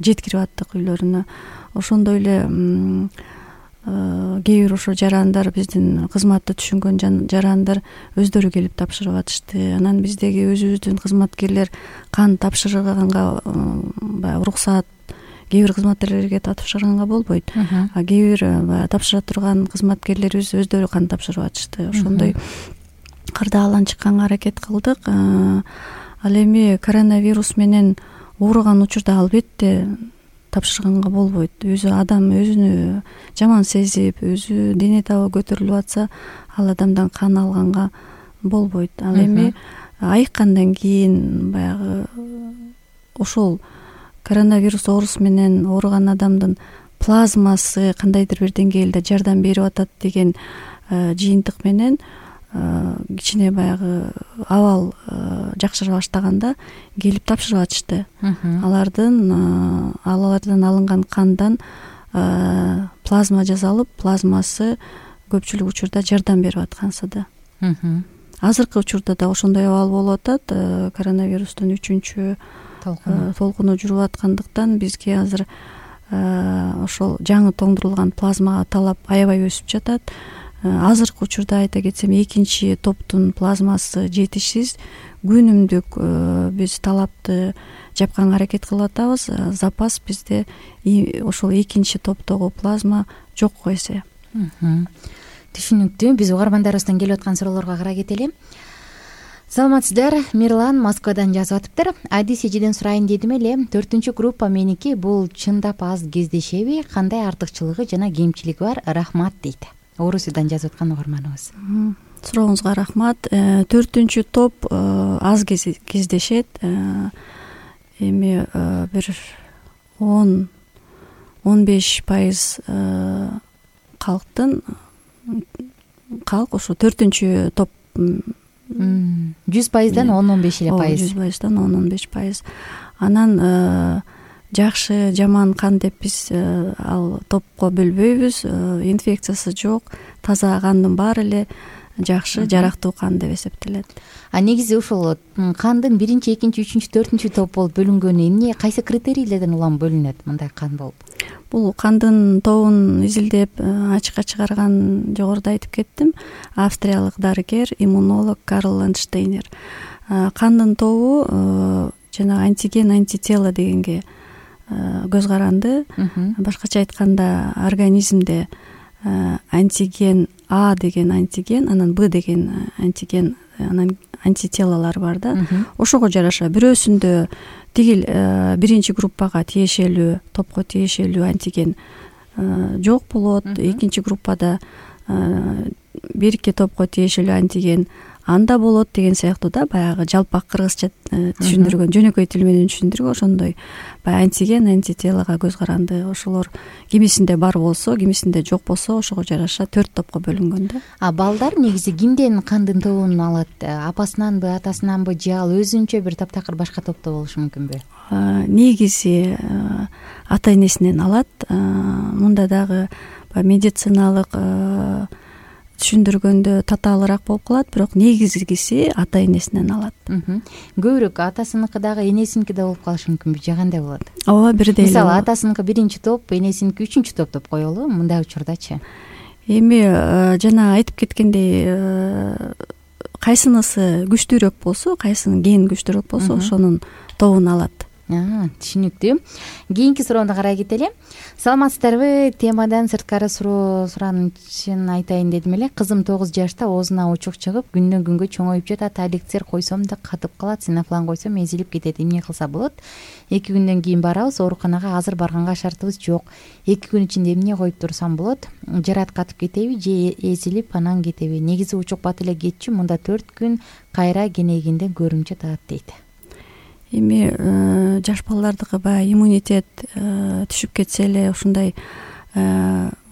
жеткирип аттык үйлөрүнө. Ошондой эле кээ бир ошо жарандар, биздин кызматты түшүнгөн жарандар өздөрү келип тапшырып атышты. Анан биздеги өзүбүздүн кызматкерлер кан тапшырганга баягы уруксаат кээ бир кызматкерлерге тапшырганга болбойт. А кээ бир тапшыра турган кызматкерлерибиз өздөрү кан тапшырып атышты. Ошондой кырдаалдан чыкканга аракет кылдык. Ал эми коронавирус менен ооруган учурда албетте тапшырганга болбойт. Өзү адам өзүнү жаман сезип, өзү дене табы көтөрүлүп атса, ал адамдан кан алганга болбойт. Ал эми айыккандан кийин баягы ошол коронавирус оорусу менен ооруган адамдын плазмасы кандайдыр бир деңгээлде жардам берип атат деген жыйынтык менен кичине баягы абал жакшыра баштаганда келип тапшырып атышты. Алардан алынган кандан плазма жасалып, плазмасы көпчүлүк учурда жардам берип аткансы да. Азыркы учурда да ошондой абал болуп атат. Коронавирустун 3-чү толкуну жүрүп аткандыктан бизге азыр ошол жаңы тоңдурулган плазмага талап аябай өсүп жатат. Азыркы учурда айта кетсем, 2-чи топтун плазмасы жетишсиз. Күнүмдүк биз талапты жапканга аракет кылып атабыз. Запас бизде ошол 2-чи топтогу плазма жок эсе. Түшүнүктүү. Биз угармандарыбыздан келип аткан суроолорго карай кетели. Саламатсыздар, Мирлан Москвадан жазып атыптыр. Адис эжеден сурайын дедим эле. 4-чү группа меники, бул чындап аз кездешеби? Кандай артыкчылыгы жана кемчилиги бар? Рахмат дейт. Орусиядан жазып аткан угарманыбыз. Сурооңузга рахмат. 4-чү топ аз кездешет. Эми бир 10-15% калк ошо 4-чү топ 100%дан 10-15 эле пайыз. 100%дан 10-15%. Анан жакшы жаман кан деп биз ал топко бөлбөйбүз. Инфекциясы жок, таза кандын баары эле жакшы, жарактуу кан деп эсептелет. Негизи ушул кандын 1, 2, 3, 4 топ болуп бөлүнгөнү эмне, кайсы критерийлерден улам бөлүнөт мындай кан болуп? Бул кандын тобун изилдеп ачыкка чыгарган, жогоруда айтып кеттим, австриялык дарыгер, иммунолог Карл Ландштейнер. Кандын тобу жанагы антиген, антитело дегенге көз каранды. Башкача айтканда, организмде антиген А деген антиген, анан Б деген антиген, анан антителолор бар да. Ошого жараша бирөөсүндө тигил биринчи группага тиешелүү, топко тиешелүү антиген жок болот. Экинчи группада бирки топко тиешелүү антиген анда болот деген сыяктуу да, баягы жалпак кыргызча түшүндүргөн, жөнөкөй тил менен түшүндүргөн ошондой баягы антиген, антителого көз каранды. Ошолор кимисинде бар болсо, кимисинде жок болсо, ошого жараша 4 топко бөлүнгөн да. Балдар негизи кимден кандын тобун алат? Апасынанбы, атасынанбы, же ал өзүнчө бир таптакыр башка топто болушу мүмкүнбү? Негизи ата энесинен алат. Мында дагы медициналык түшүндүргөндө татаалыраак болуп калат, бирок негизгиси ата энесинен алат. Көбүрөөк атасыныкы дагы энесиники да болуп калышы мүмкүнбү, же кандай болот? Ооба, бирдей эле. Мисалы, атасыныкы 1 топ, энесиники 3 топ деп коелу, мындай учурдачы. Эми жана айтып кеткендей, кайсынысы күчтүүрөөк болсо, кайсынын ген күчтүүрөөк болсо, ошонун тобун алат. Түшүнүктүү. Кийинки суроону карай кетели. Саламатсыздарбы? Темадан сырткары суроо суранышын айтайын дедим эле. Кызым 9 жашта, оозуна учук чыгып, күндөн күнгө чоңоюп жатат. Эликсир койсом да катып калат, синофлан койсом эзилип кетет. Эмне кылса болот? 2 күндөн кийин барабыз, ооруканага азыр барганга шартыбыз жок. 2 күн ичинде эмне коюп турсам болот? Жарат катып кетеби же эзилип анан кетеби? Негизи учук бат эле кетчү, мында 4 күн кайра кенегинде көрүмчө таат дейт. Эми жаш балдардыкы баягы иммунитет түшүп кетсе эле ушундай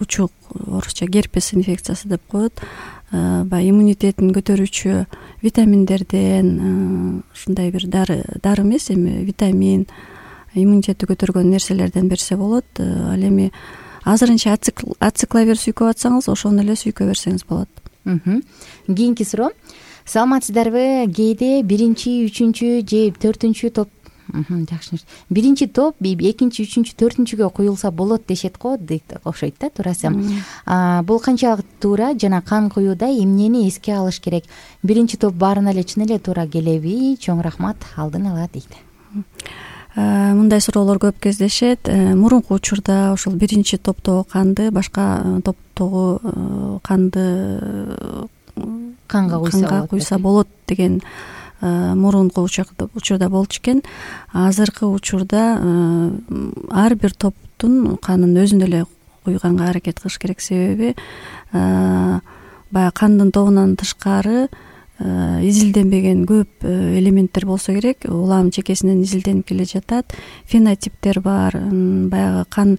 учук, орусча герпес инфекциясы деп коет, баягы иммунитетин көтөрүүчү витаминдерден, ушундай бир дары эмес, эми витамин, иммунитетти көтөргөн нерселерден берсе болот. Ал эми азырынча ацикловир сүйкөп атсаңыз, ошону эле сүйкөй берсеңиз болот. Кийинки суроо. Саламатсыздарбы? Кээде 1, 3 же 4 топ, жакшы. 1 топ 2, 3, 4-кө куюлса болот дешет го, дейт, окшойт да, туурасы. Бул канчалык туура жана кан куюуда эмнени эске алыш керек? 1 топ баарына эле чын эле туура келеби? Чоң рахмат, алдын ала дейт. Мындай суроолор көп кездешет. Мурунку учурда ошол 1 топтогу канды башка топтогу канды канга куйса болот деген мурунку учурда болчу экен. Азыркы учурда ар бир топтун канын өзүнө эле куйганга аракет кылыш керек. Себеби баягы кандын тобунан тышкары изилденбеген көп элементтер болсо керек. Улам чекесинен изилденип келе жатат. Фенотиптер бар. Баягы кан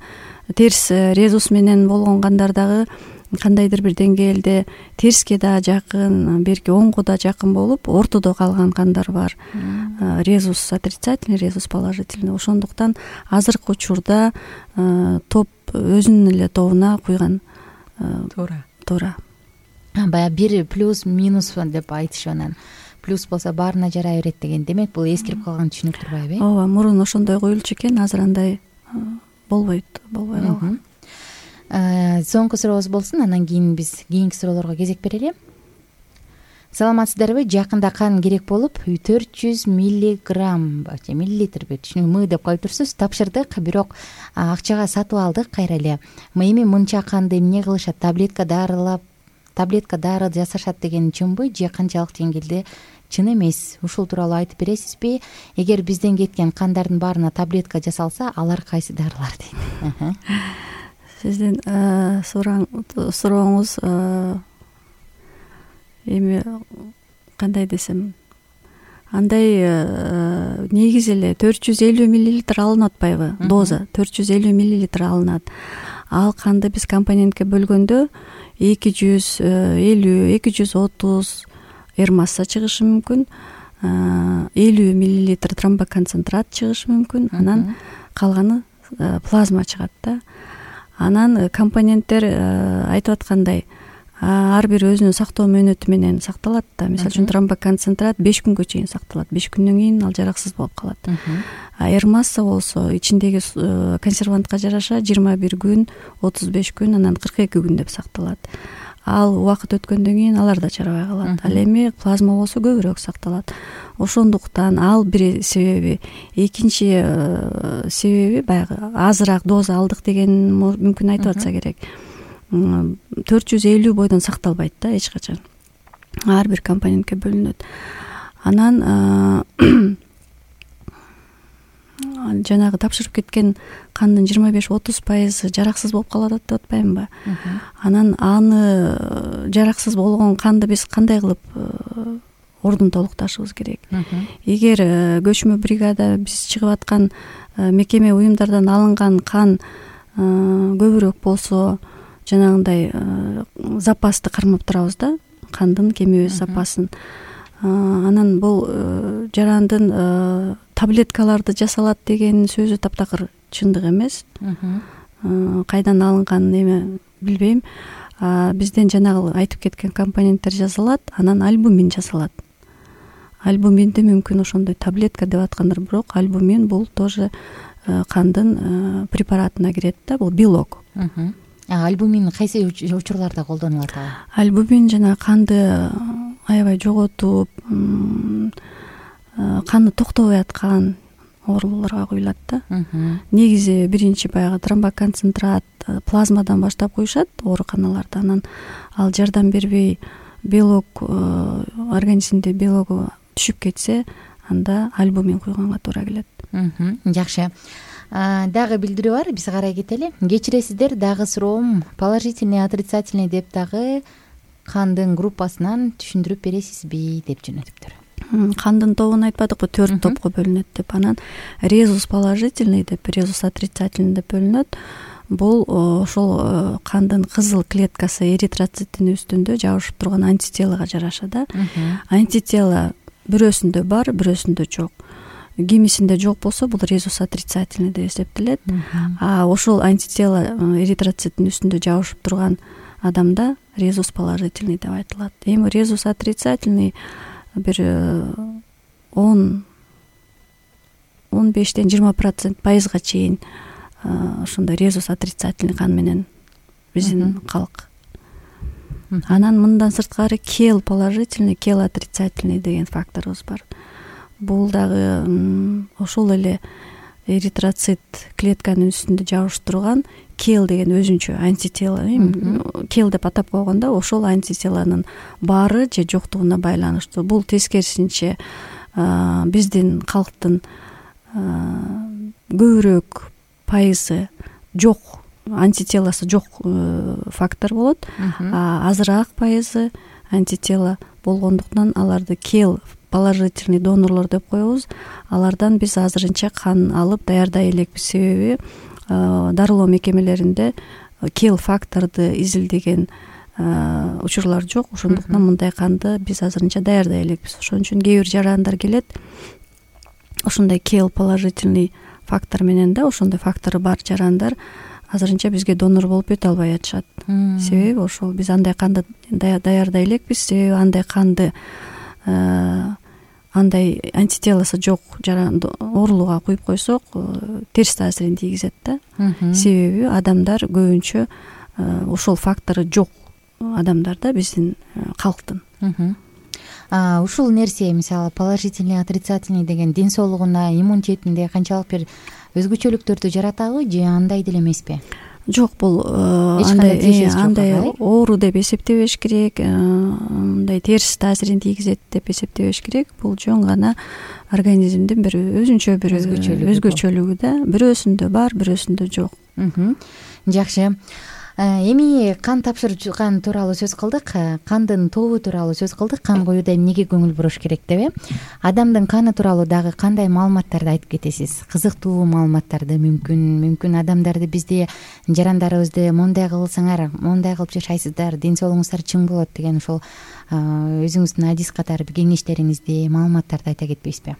терс резус менен болгон кандар дагы кандайдыр бир деңгээлде терске да жакын, берки оңго да жакын болуп, ортодо калган кандар бар. Резус отрицательный, резус положительный. Ошондуктан азыркы учурда топ өзүнүн эле тобуна куйган туура. Баягы бир плюс минус деп айтышып, анан плюс болсо баарына жарай берет деген. Демек бул эскирип калган түшүнүк турбайбы? Ооба, мурун ошондой коюлчу экен, азыр андай болбой калган. Соңку сурообуз болсун, анан кийин биз кийинки суроолорго кезек берели. Саламатсыздарбы? Жакында кан керек болуп 400 миллиграмм же миллилитрби, м деп коюп турсуз, тапшырдык, бирок акчага сатып алдык кайра эле. Эми мынча канды эмне кылышат? Таблетка дары жасашат деген чынбы же канчалык деңгээлде чын эмес? Ушул тууралуу айтып бересизби? Эгер бизден кеткен кандардын баарына таблетка жасалса, алар кайсы дарылар дейт? Сиздин сурооңуз эми кандай десем, андай негизи эле 450 мл алынып атпайбы? Доза 450 мл алынат. Ал канды биз компонентке бөлгөндө 250-230 масса чыгышы мүмкүн, 50 мл тромбоконцентрат чыгышы мүмкүн. Анан калганы плазма чыгат да. Анан компоненттер айтып аткандай ар бир өзүнүн сактоо мөөнөтү менен сакталат да. Мисалы үчүн тромбоконцентрат 5 күнгө чейин сакталат. 5 күндөн кийин ал жараксыз болуп калат. Эрмасса болсо ичиндеги консервантка жараша 21 күн, 35 күн, анан 42 күн деп сакталат. Ал убакыт өткөндөн кийин алар да чарабай калат. Ал эми плазма болсо көбүрөөк сакталат. Ошондуктан ал бир себеби. Экинчи себеби баягы азыраак доза алдык деген мүмкүн айтып атса керек. 450 бойдон сакталбайт да эч качан. Ар бир компонентке бөлүнөт. Анан жанагы тапшырып кеткен кандын 25-30% жараксыз болуп калат деп атпаймынбы? Анан аны жараксыз болгон канды биз кандай кылып ордун толукташыбыз керек? Эгер көчмө бригада биз чыгып аткан мекеме уюмдардан алынган кан көбүрөөк болсо, жанагындай запасты кармап турабыз да, кандын кемебиз запасын. Анан бул жарандын таблеткаларды жасалат деген сөзү таптакыр чындык эмес. Кайдан алынган эме билбейм. Бизден жанагы айтып кеткен компоненттер жасалат, анан альбумин жасалат. Альбуминди мүмкүн ошондой таблетка деп аткандар, бирок альбумин бул тоже кандын препаратына кирет да, бул белок. Альбумин кайсы учурларда колдонулат? Альбумин жана канды аябай жоготуп, канды токтобой аткан ооруларга куюлат да. Негизи биринчи баягы тромбоконцентрат, плазмадан баштап куюшат ооруканаларда. Анан ал жардам бербей белок организмде белогу түшүп кетсе, анда альбумин куйганга туура келет. Жакшы. Дагы билдирүү бар, биз карай кетели. Кечиресиздер, дагы суроом положительный, отрицательный деп дагы кандын группасынан түшүндүрүп бересизби деп жөнөтүптүр. Кандын тобун айтпадыкпы, 4 топко бөлүнөт деп. Анан резус положительный деп, резус отрицательный деп бөлүнөт. Бул ошол кандын кызыл клеткасы эритроциттин үстүндө жабышып турган антителага жараша да. Антитело бирөөсүндө бар, бирөөсүндө жок. Кимисинде жок болсо, бул резус отрицательный деп эсептелет. Ошол антитело эритроциттин үстүндө жабышып турган адамда резус положительный деп айтылат. Эми резус отрицательный бир 10-15-20% пайызга чейин ошондой резус отрицательный кан менен биздин калк. Анан мындан сырткары кел положительный, кел отрицательный деген факторубуз бар. Бул дагы ошол эле эритроцит клетканын үстүндө жабышып турган кел деген өзүнчө антитело. Кел деп атап койгондо ошол антителонун баары же жоктугуна байланыштуу. Бул тескерисинче биздин калктын көбүрөөк пайызы жок, антителосу жок фактор болот. Азыраак пайызы антитело болгондуктан аларды кел положительный донорлор деп коебуз. Алардан биз азырынча кан алып даярдай элекпиз. Себеби дарылоо мекемелеринде кел факторду изилдеген учурлар жок. Ошондуктан мындай канды биз азырынча даярдай элекпиз. Ошон үчүн кээ бир жарандар келет, ошондой кел положительный фактор менен да, ошондой фактору бар жарандар азырынча бизге донор болуп өтө албай атышат. Себеби ошол биз андай канды даярдай элекпиз. Себеби андай канды андай антителосу жок оорулууга куюп койсок, терс таасирин тийгизет да. Себеби адамдар көбүнчө ошол фактору жок адамдар да, биздин калктын. Ушул нерсе, мисалы положительный, отрицательный деген ден соолугуна, иммунитетинде канчалык бир өзгөчөлүктөрдү жаратабы же андай деле эмеспи? Жок, бул андай оору деп эсептебеш керек, мындай терс таасирин тийгизет деп эсептебеш керек. Бул жөн гана организмдин бир өзүнчө бир өзгөчөлүгү да. Бирөөсүндө бар, бирөөсүндө жок. Жакшы. Эми кан тапшырган тууралуу сөз кылдык, кандын тобу тууралуу сөз кылдык, кан коюуда эмнеге көңүл буруш керек деп. Адамдын каны тууралуу дагы кандай маалыматтарды айтып кетесиз? Кызыктуу маалыматтарды, мүмкүн адамдарды, бизде жарандарыбызды мондай кылсаңар, мондай кылып жашайсыздар, ден соолугуңуздар чың болот деген ошол өзүңүздүн адис катары кеңештериңизди, маалыматтарды айта кетпейсизби?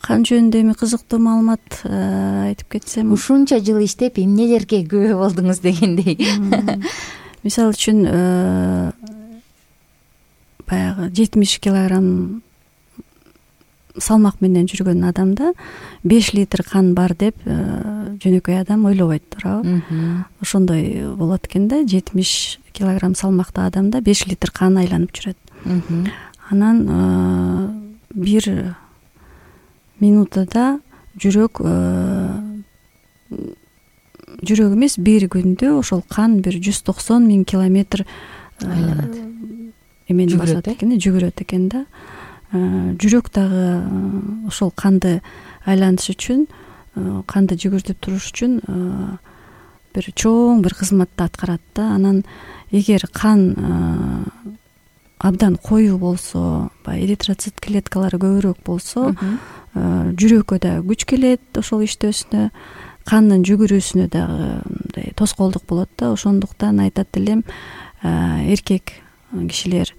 кан жөнүндө эми кызыктуу маалымат айтып кетсем, ушунча жыл иштеп эмнелерге күбө болдуңуз дегендей. мисалы үчүн баягы 70 килограмм салмак менен жүргөн адамда 5 литр кан бар деп жөнөкөй адам ойлобойт, туурабы? Ошондой болот экен да, 70 килограмм салмактуу адамда 5 литр кан айланып жүрөт. Анан бир минутада жүрөк эмес, бир күндө ошол кан бир 190 000 километр эмени басат экен, жүгүрөт экен да. Жүрөк дагы ошол канды айлантыш үчүн, канды жүгүртүп туруш үчүн бир чоң бир кызматты аткарат да. Анан эгер кан абдан коюу болсо, баягы эритроцит клеткалары көбүрөөк болсо, жүрөккө да күч келет ошол иштөөсүнө, кандын жүгүрүүсүнө дагы мындай тоскоолдук болот да. Ошондуктан айтат элем, эркек кишилер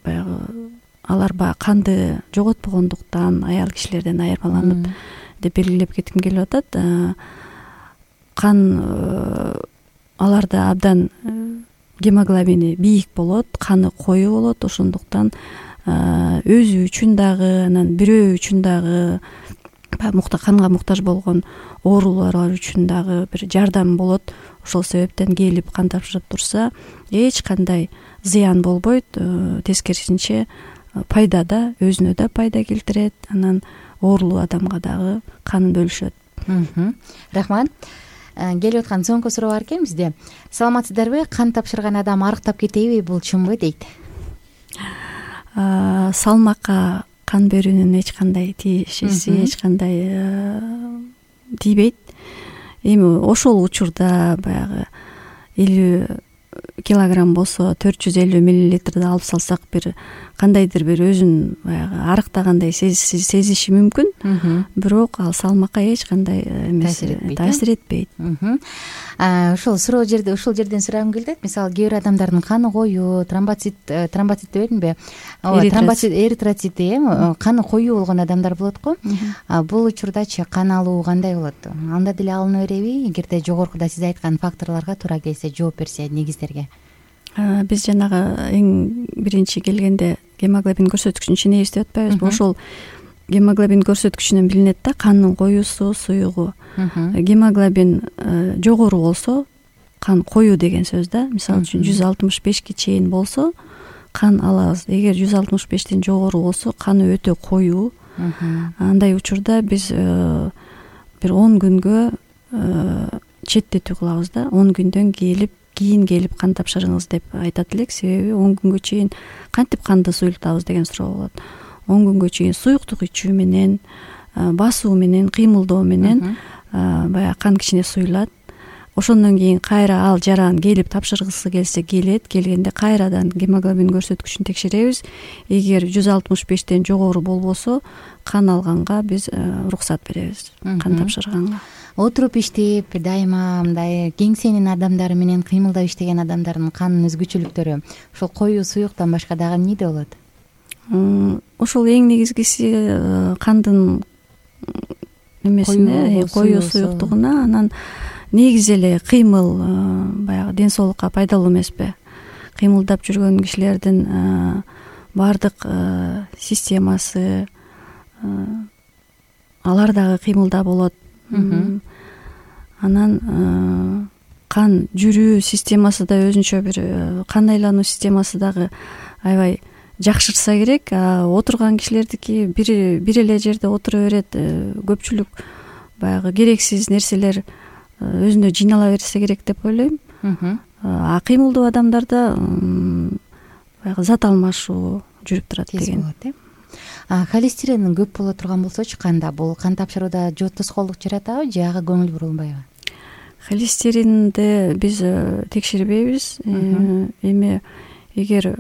баягы алар баягы канды жоготпогондуктан аял кишилерден айырмаланып деп белгилеп кетким келип атат. Кан аларда абдан гемоглобини бийик болот, каны коюу болот. Ошондуктан өзү үчүн дагы, анан бирөө үчүн дагы, канга муктаж болгон оорулар үчүн дагы бир жардам болот. Ошол себептен келип кан тапшырып турса, эч кандай зыян болбойт, тескерисинче пайда да, өзүнө да пайда келтирет, анан оорулуу адамга дагы канын бөлүшөт. Рахмат. Келип аткан соңку суроо бар экен бизде. Саламатсыздарбы? Кан тапшырган адам арыктап кетеби, бул чынбы дейт? Салмакка кан берүүнүн эч кандай тиешеси, эч кандай тийбейт. Эми ошол учурда баягы 50 килограмм болсо 450 миллилитрди алып салсак, бир кандайдыр бир өзүн баягы арыктагандай сезиши мүмкүн, бирок ал салмакка эч кандай таасир этпейт. Ушул жерден сурагым келди. Мисалы, кээ бир адамдардын каны коюу, тромбоцит дебедимби? Эритроцити, каны коюу болгон адамдар болот го. Бул учурдачы кан алуу кандай болот? Анда деле алына береби? Эгерде жогоркуда сиз айткан факторлорго туура келсе, жооп берсе негиздерге. Биз жанагы эң биринчи келгенде гемоглобин көрсөткүчүн ченебиз деп атпайбызбы? Ошол гемоглобин көрсөткүчүнөн билинет да, кандын коюусу, суюгу. Гемоглобин жогору болсо, кан коюу деген сөз да. Мисалы үчүн 165ке чейин болсо кан алабыз. Эгер 165тен жогору болсо, каны өтө коюу. Андай учурда биз бир 10 күнгө четтетүү кылабыз да. 10 күндөн кийин келип кан тапшырыңыз деп айтат элек. Себеби 10 күнгө чейин кантип канды суюктабыз деген суроо болот. 10 күнгө чейин суюктук ичүү менен, басуу менен, кыймылдоо менен баягы кан кичине суюлат. Ошондон кийин кайра ал жаран келип тапшыргысы келсе келет. Келгенде кайрадан гемоглобин көрсөткүчүн текшеребиз. Эгер 165тен жогору болбосо, кан алганга биз уруксат беребиз, кан тапшырганга. Отуруп иштеп, дайыма мындай кеңсенин адамдары менен кыймылдап иштеген адамдардын канынын өзгөчөлүктөрү ошол коюу суюктан башка дагы эмнеде болот? Ошол эң негизгиси кандын эмесине, коюу суюктугуна, анан негизи эле кыймыл баягы ден соолукка пайдалуу эмеспи? Кыймылдап жүргөн кишилердин баардык системасы, алар дагы кыймылда болот. Анан кан жүрүү системасы да өзүнчө бир, кан айлануу системасы дагы аябай жакшырса керек. Отурган кишилердики бир эле жерде отура берет. Көпчүлүк баягы керексиз нерселер өзүнө жыйнала берсе керек деп ойлойм. Кыймылдуу адамдарда баягы зат алмашуу жүрүп турат деген. Холестерин көп боло турган болсочу канда, бул кан тапшырууда тоскоолдук жаратабы же ага көңүл бурулбайбы? Холестеринди биз текшербейбиз. Эми эгер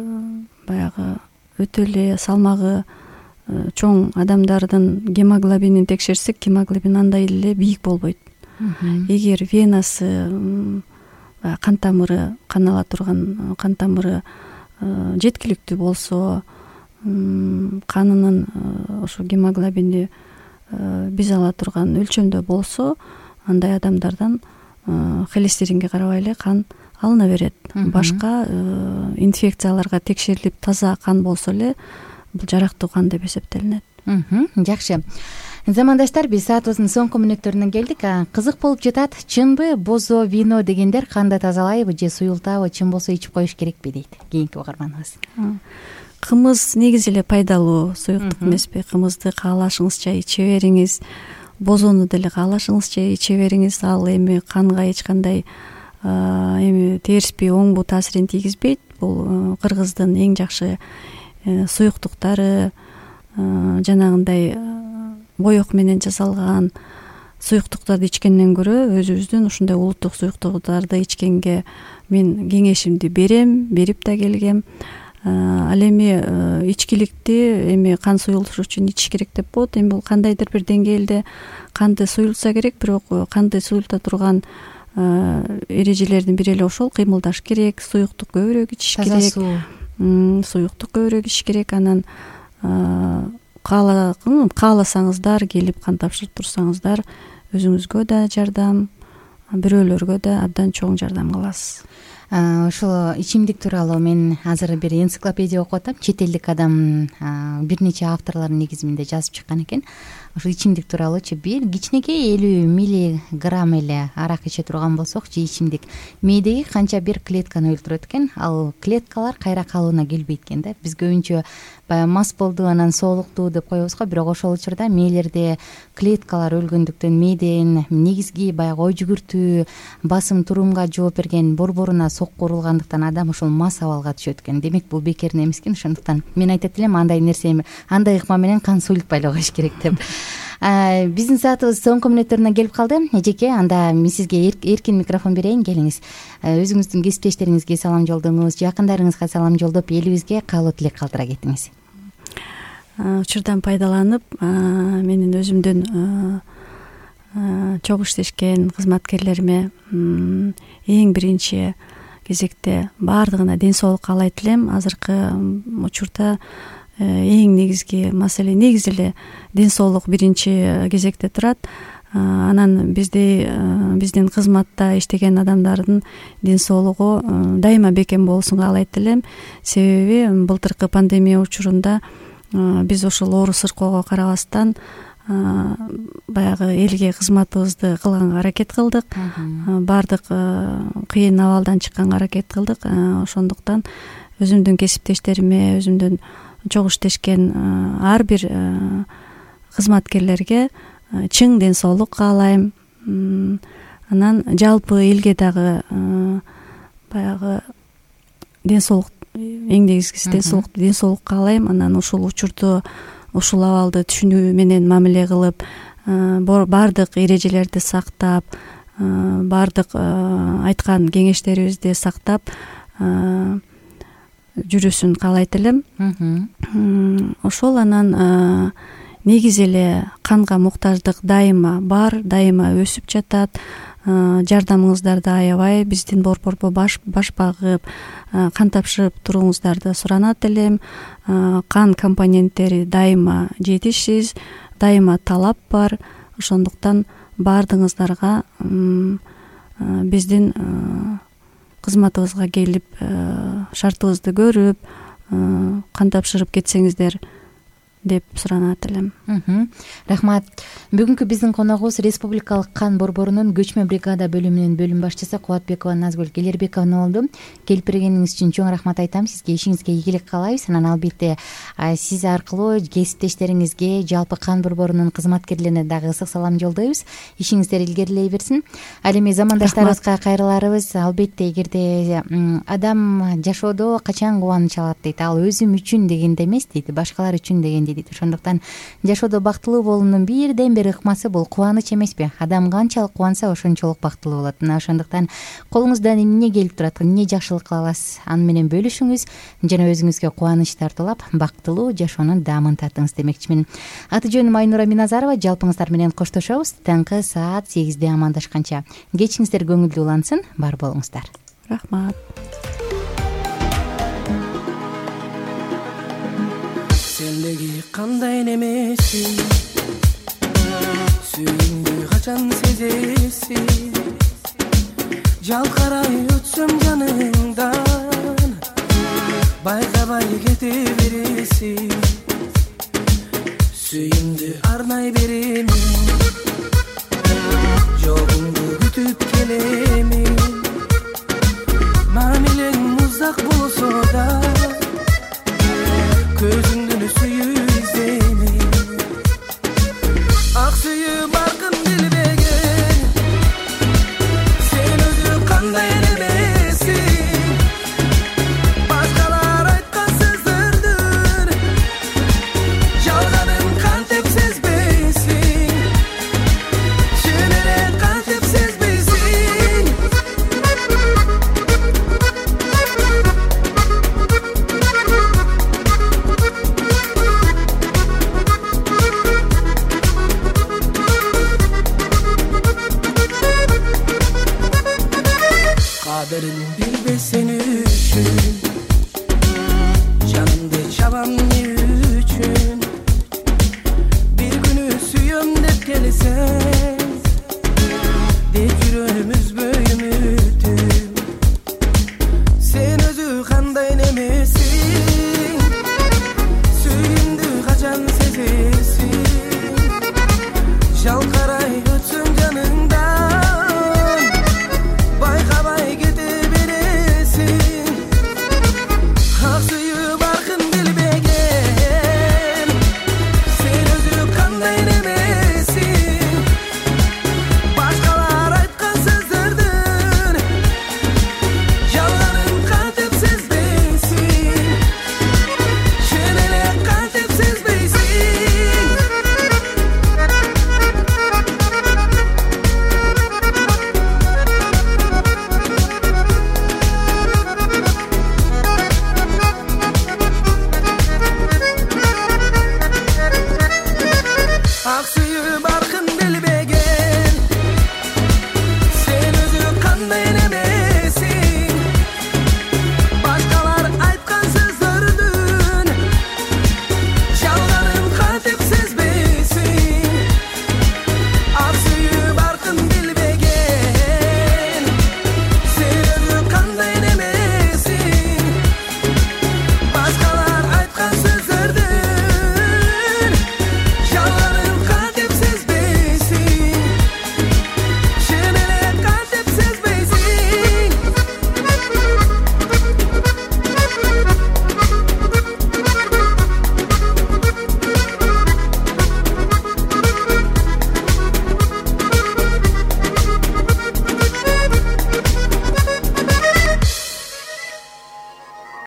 баягы өтө эле салмагы чоң адамдардын гемоглобинин текшерсек, гемоглобин андай эле бийик болбойт. Эгер венасы, кан тамыры, кан ала турган кан тамыры жеткиликтүү болсо, канынын ошо гемоглобини биз ала турган өлчөмдө болсо, андай адамдардан холестеринге карабай эле кан алына берет. Башка инфекцияларга текшерилип таза кан болсо эле бул жарактуу кан деп эсептелинет. Жакшы. Замандаштар, биз саатыбыздын соңку мүнөттөрүнө келдик. Кызык болуп жатат. Чынбы бозо вино дегендер канды тазалайбы же суюлтабы, чын болсо ичип коюш керекпи дейт кийинки угарманыбыз. Кымыз негизи эле пайдалуу суюктук эмеспи? Кымызды каалашыңызча иче бериңиз, бозону деле каалашыңызча иче бериңиз. Ал эми канга эч кандай эми терспи, оңбу таасирин тийгизбейт. Бул кыргыздын эң жакшы суюктуктары, жанагындай боек менен жасалган суюктуктарды ичкенден көрө өзүбүздүн ушундай улуттук суюктуктарды ичкенге мен кеңешимди берем, берип да келгем. Ал эми ичкиликти эми кан суюлуш үчүн ичиш керек деп болот. Эми бул кандайдыр бир деңгээлде канды суюлтса керек, бирок канды суюлта турган эрежелердин бири эле ошол. Кыймылдаш керек, суюктук көбүрөөк ичиш керек, суюктук көбүрөөк ичиш керек. Анан кааласаңыздар келип кан тапшырып турсаңыздар өзүңүзгө да жардам, бирөөлөргө да абдан чоң жардам кыласыз. Ошол ичимдик тууралуу мен азыр бир энциклопедия окуп атам. Чет элдик адам бир нече авторлордун негизинде жазып чыккан экен. Ошол ичимдик тууралуучу бир кичинекей 50 миллиграмм эле арак иче турган болсок же ичимдик мээдеги канча бир клетканы өлтүрөт экен. Ал клеткалар кайра калыбына келбейт экен да. Биз көбүнчө баягы мас болду, анан соолуктуу деп коебуз го, бирок ошол учурда мээлерде клеткалар өлгөндүктөн мээден негизги баягы ой жүгүртүү, басым турумга жооп берген борборуна сокку урулгандыктан адам ошол мас абалга түшөт экен. Демек бул бекерин эмес экен. Ошондуктан мен айтат элем андай нерсе, андай ыкма менен кан суюлтпай эле коюш керек деп. Биздин саатыбыз соңку мүнөттөрүнө келип калды. Эжеке, анда мен сизге эркин микрофон берейин, келиңиз. Өзүңүздүн кесиптештериңизге салам жолдоңуз, жакындарыңызга салам жолдоп, элибизге каалоо тилек калтыра кетиңиз. Учурдан пайдаланып, менин өзүмдүн чогуу иштешкен кызматкерлериме эң биринчи кезекте баардыгына ден соолук каалайт элем. Азыркы учурда эң негизги маселе негизи эле ден соолук биринчи кезекте турат. Анан биздин кызматта иштеген адамдардын ден соолугу дайыма бекем болсун каалайт элем. Себеби былтыркы пандемия учурунда биз ошол оору сыркоого карабастан баягы элге кызматыбызды кылганга аракет кылдык. Баардык кыйын абалдан чыкканга аракет кылдык. Ошондуктан өзүмдүн кесиптештериме, өзүмдүн чогуу иштешкен ар бир кызматкерлерге чың ден соолук каалайм. Анан жалпы элге дагы баягы ден соолук, эң негизгиси ден соолук каалайм. Анан ушул учурду, ушул абалды түшүнүү менен мамиле кылып, баардык эрежелерди сактап, баардык айткан кеңештерибизди сактап жүрүшүн каалайт элем. Ошол. Анан негизи эле канга муктаждык дайыма бар, дайыма өсүп жатат. Жардамыңыздарды аябай биздин борборго баш багып, кан тапшырып туруңуздарды суранат элем. Кан компоненттери дайыма жетишсиз, дайыма талап бар. Ошондуктан баардыгыңыздарга биздин кызматыбызга келип, шартыбызды көрүп, кан тапшырып кетсеңиздер деп суранат элем. Рахмат. Бүгүнкү биздин коногубуз Республикалык кан борборунун көчмө бригада бөлүмүнүн бөлүм башчысы Кубатбекова Назгүл Келербековна болду. Келип бергениңиз үчүн чоң рахмат айтам. Сизге ишиңизге ийгилик каалайбыз. Анан албетте сиз аркылуу кесиптештериңизге, жалпы кан борборунун кызматкерлерине дагы ысык салам жолдойбуз. Ишиңиздер илгерилей берсин. Ал эми замандаштарыбызга кайрыларыбыз. Албетте эгерде адам жашоодо качан кубаныч алат дейт, ал өзүм үчүн дегенде эмес дейт, башкалар үчүн дегенде дейт. Ошондуктан жашоодо бактылуу болуунун бирден бир ыкмасы бул кубаныч эмеспи? Адам канчалык кубанса ошончолук бактылуу болот. Мына ошондуктан колуңуздан эмне келип турат, эмне жакшылык кыла аласыз, аны менен бөлүшүңүз жана өзүңүзгө кубаныч тартуулап, бактылуу жашоонун даамын татыңыз демекчимин. Аты жөнүм Айнура Миназарова. Жалпыңыздар менен коштошобуз. Таңкы саат 8-де амандашканча кечиңиздер көңүлдүү улансын. Бар болуңуздар. Рахмат. Сендеги кандай немесиң, сүйүүңдү качан сезесиң, жалкарай өтсөм жаныңдан, байкабай кете бересиң, сүйүүңдү арнай беремин, жогуңду күтүп келемин, мамилең узак болсо да көзүң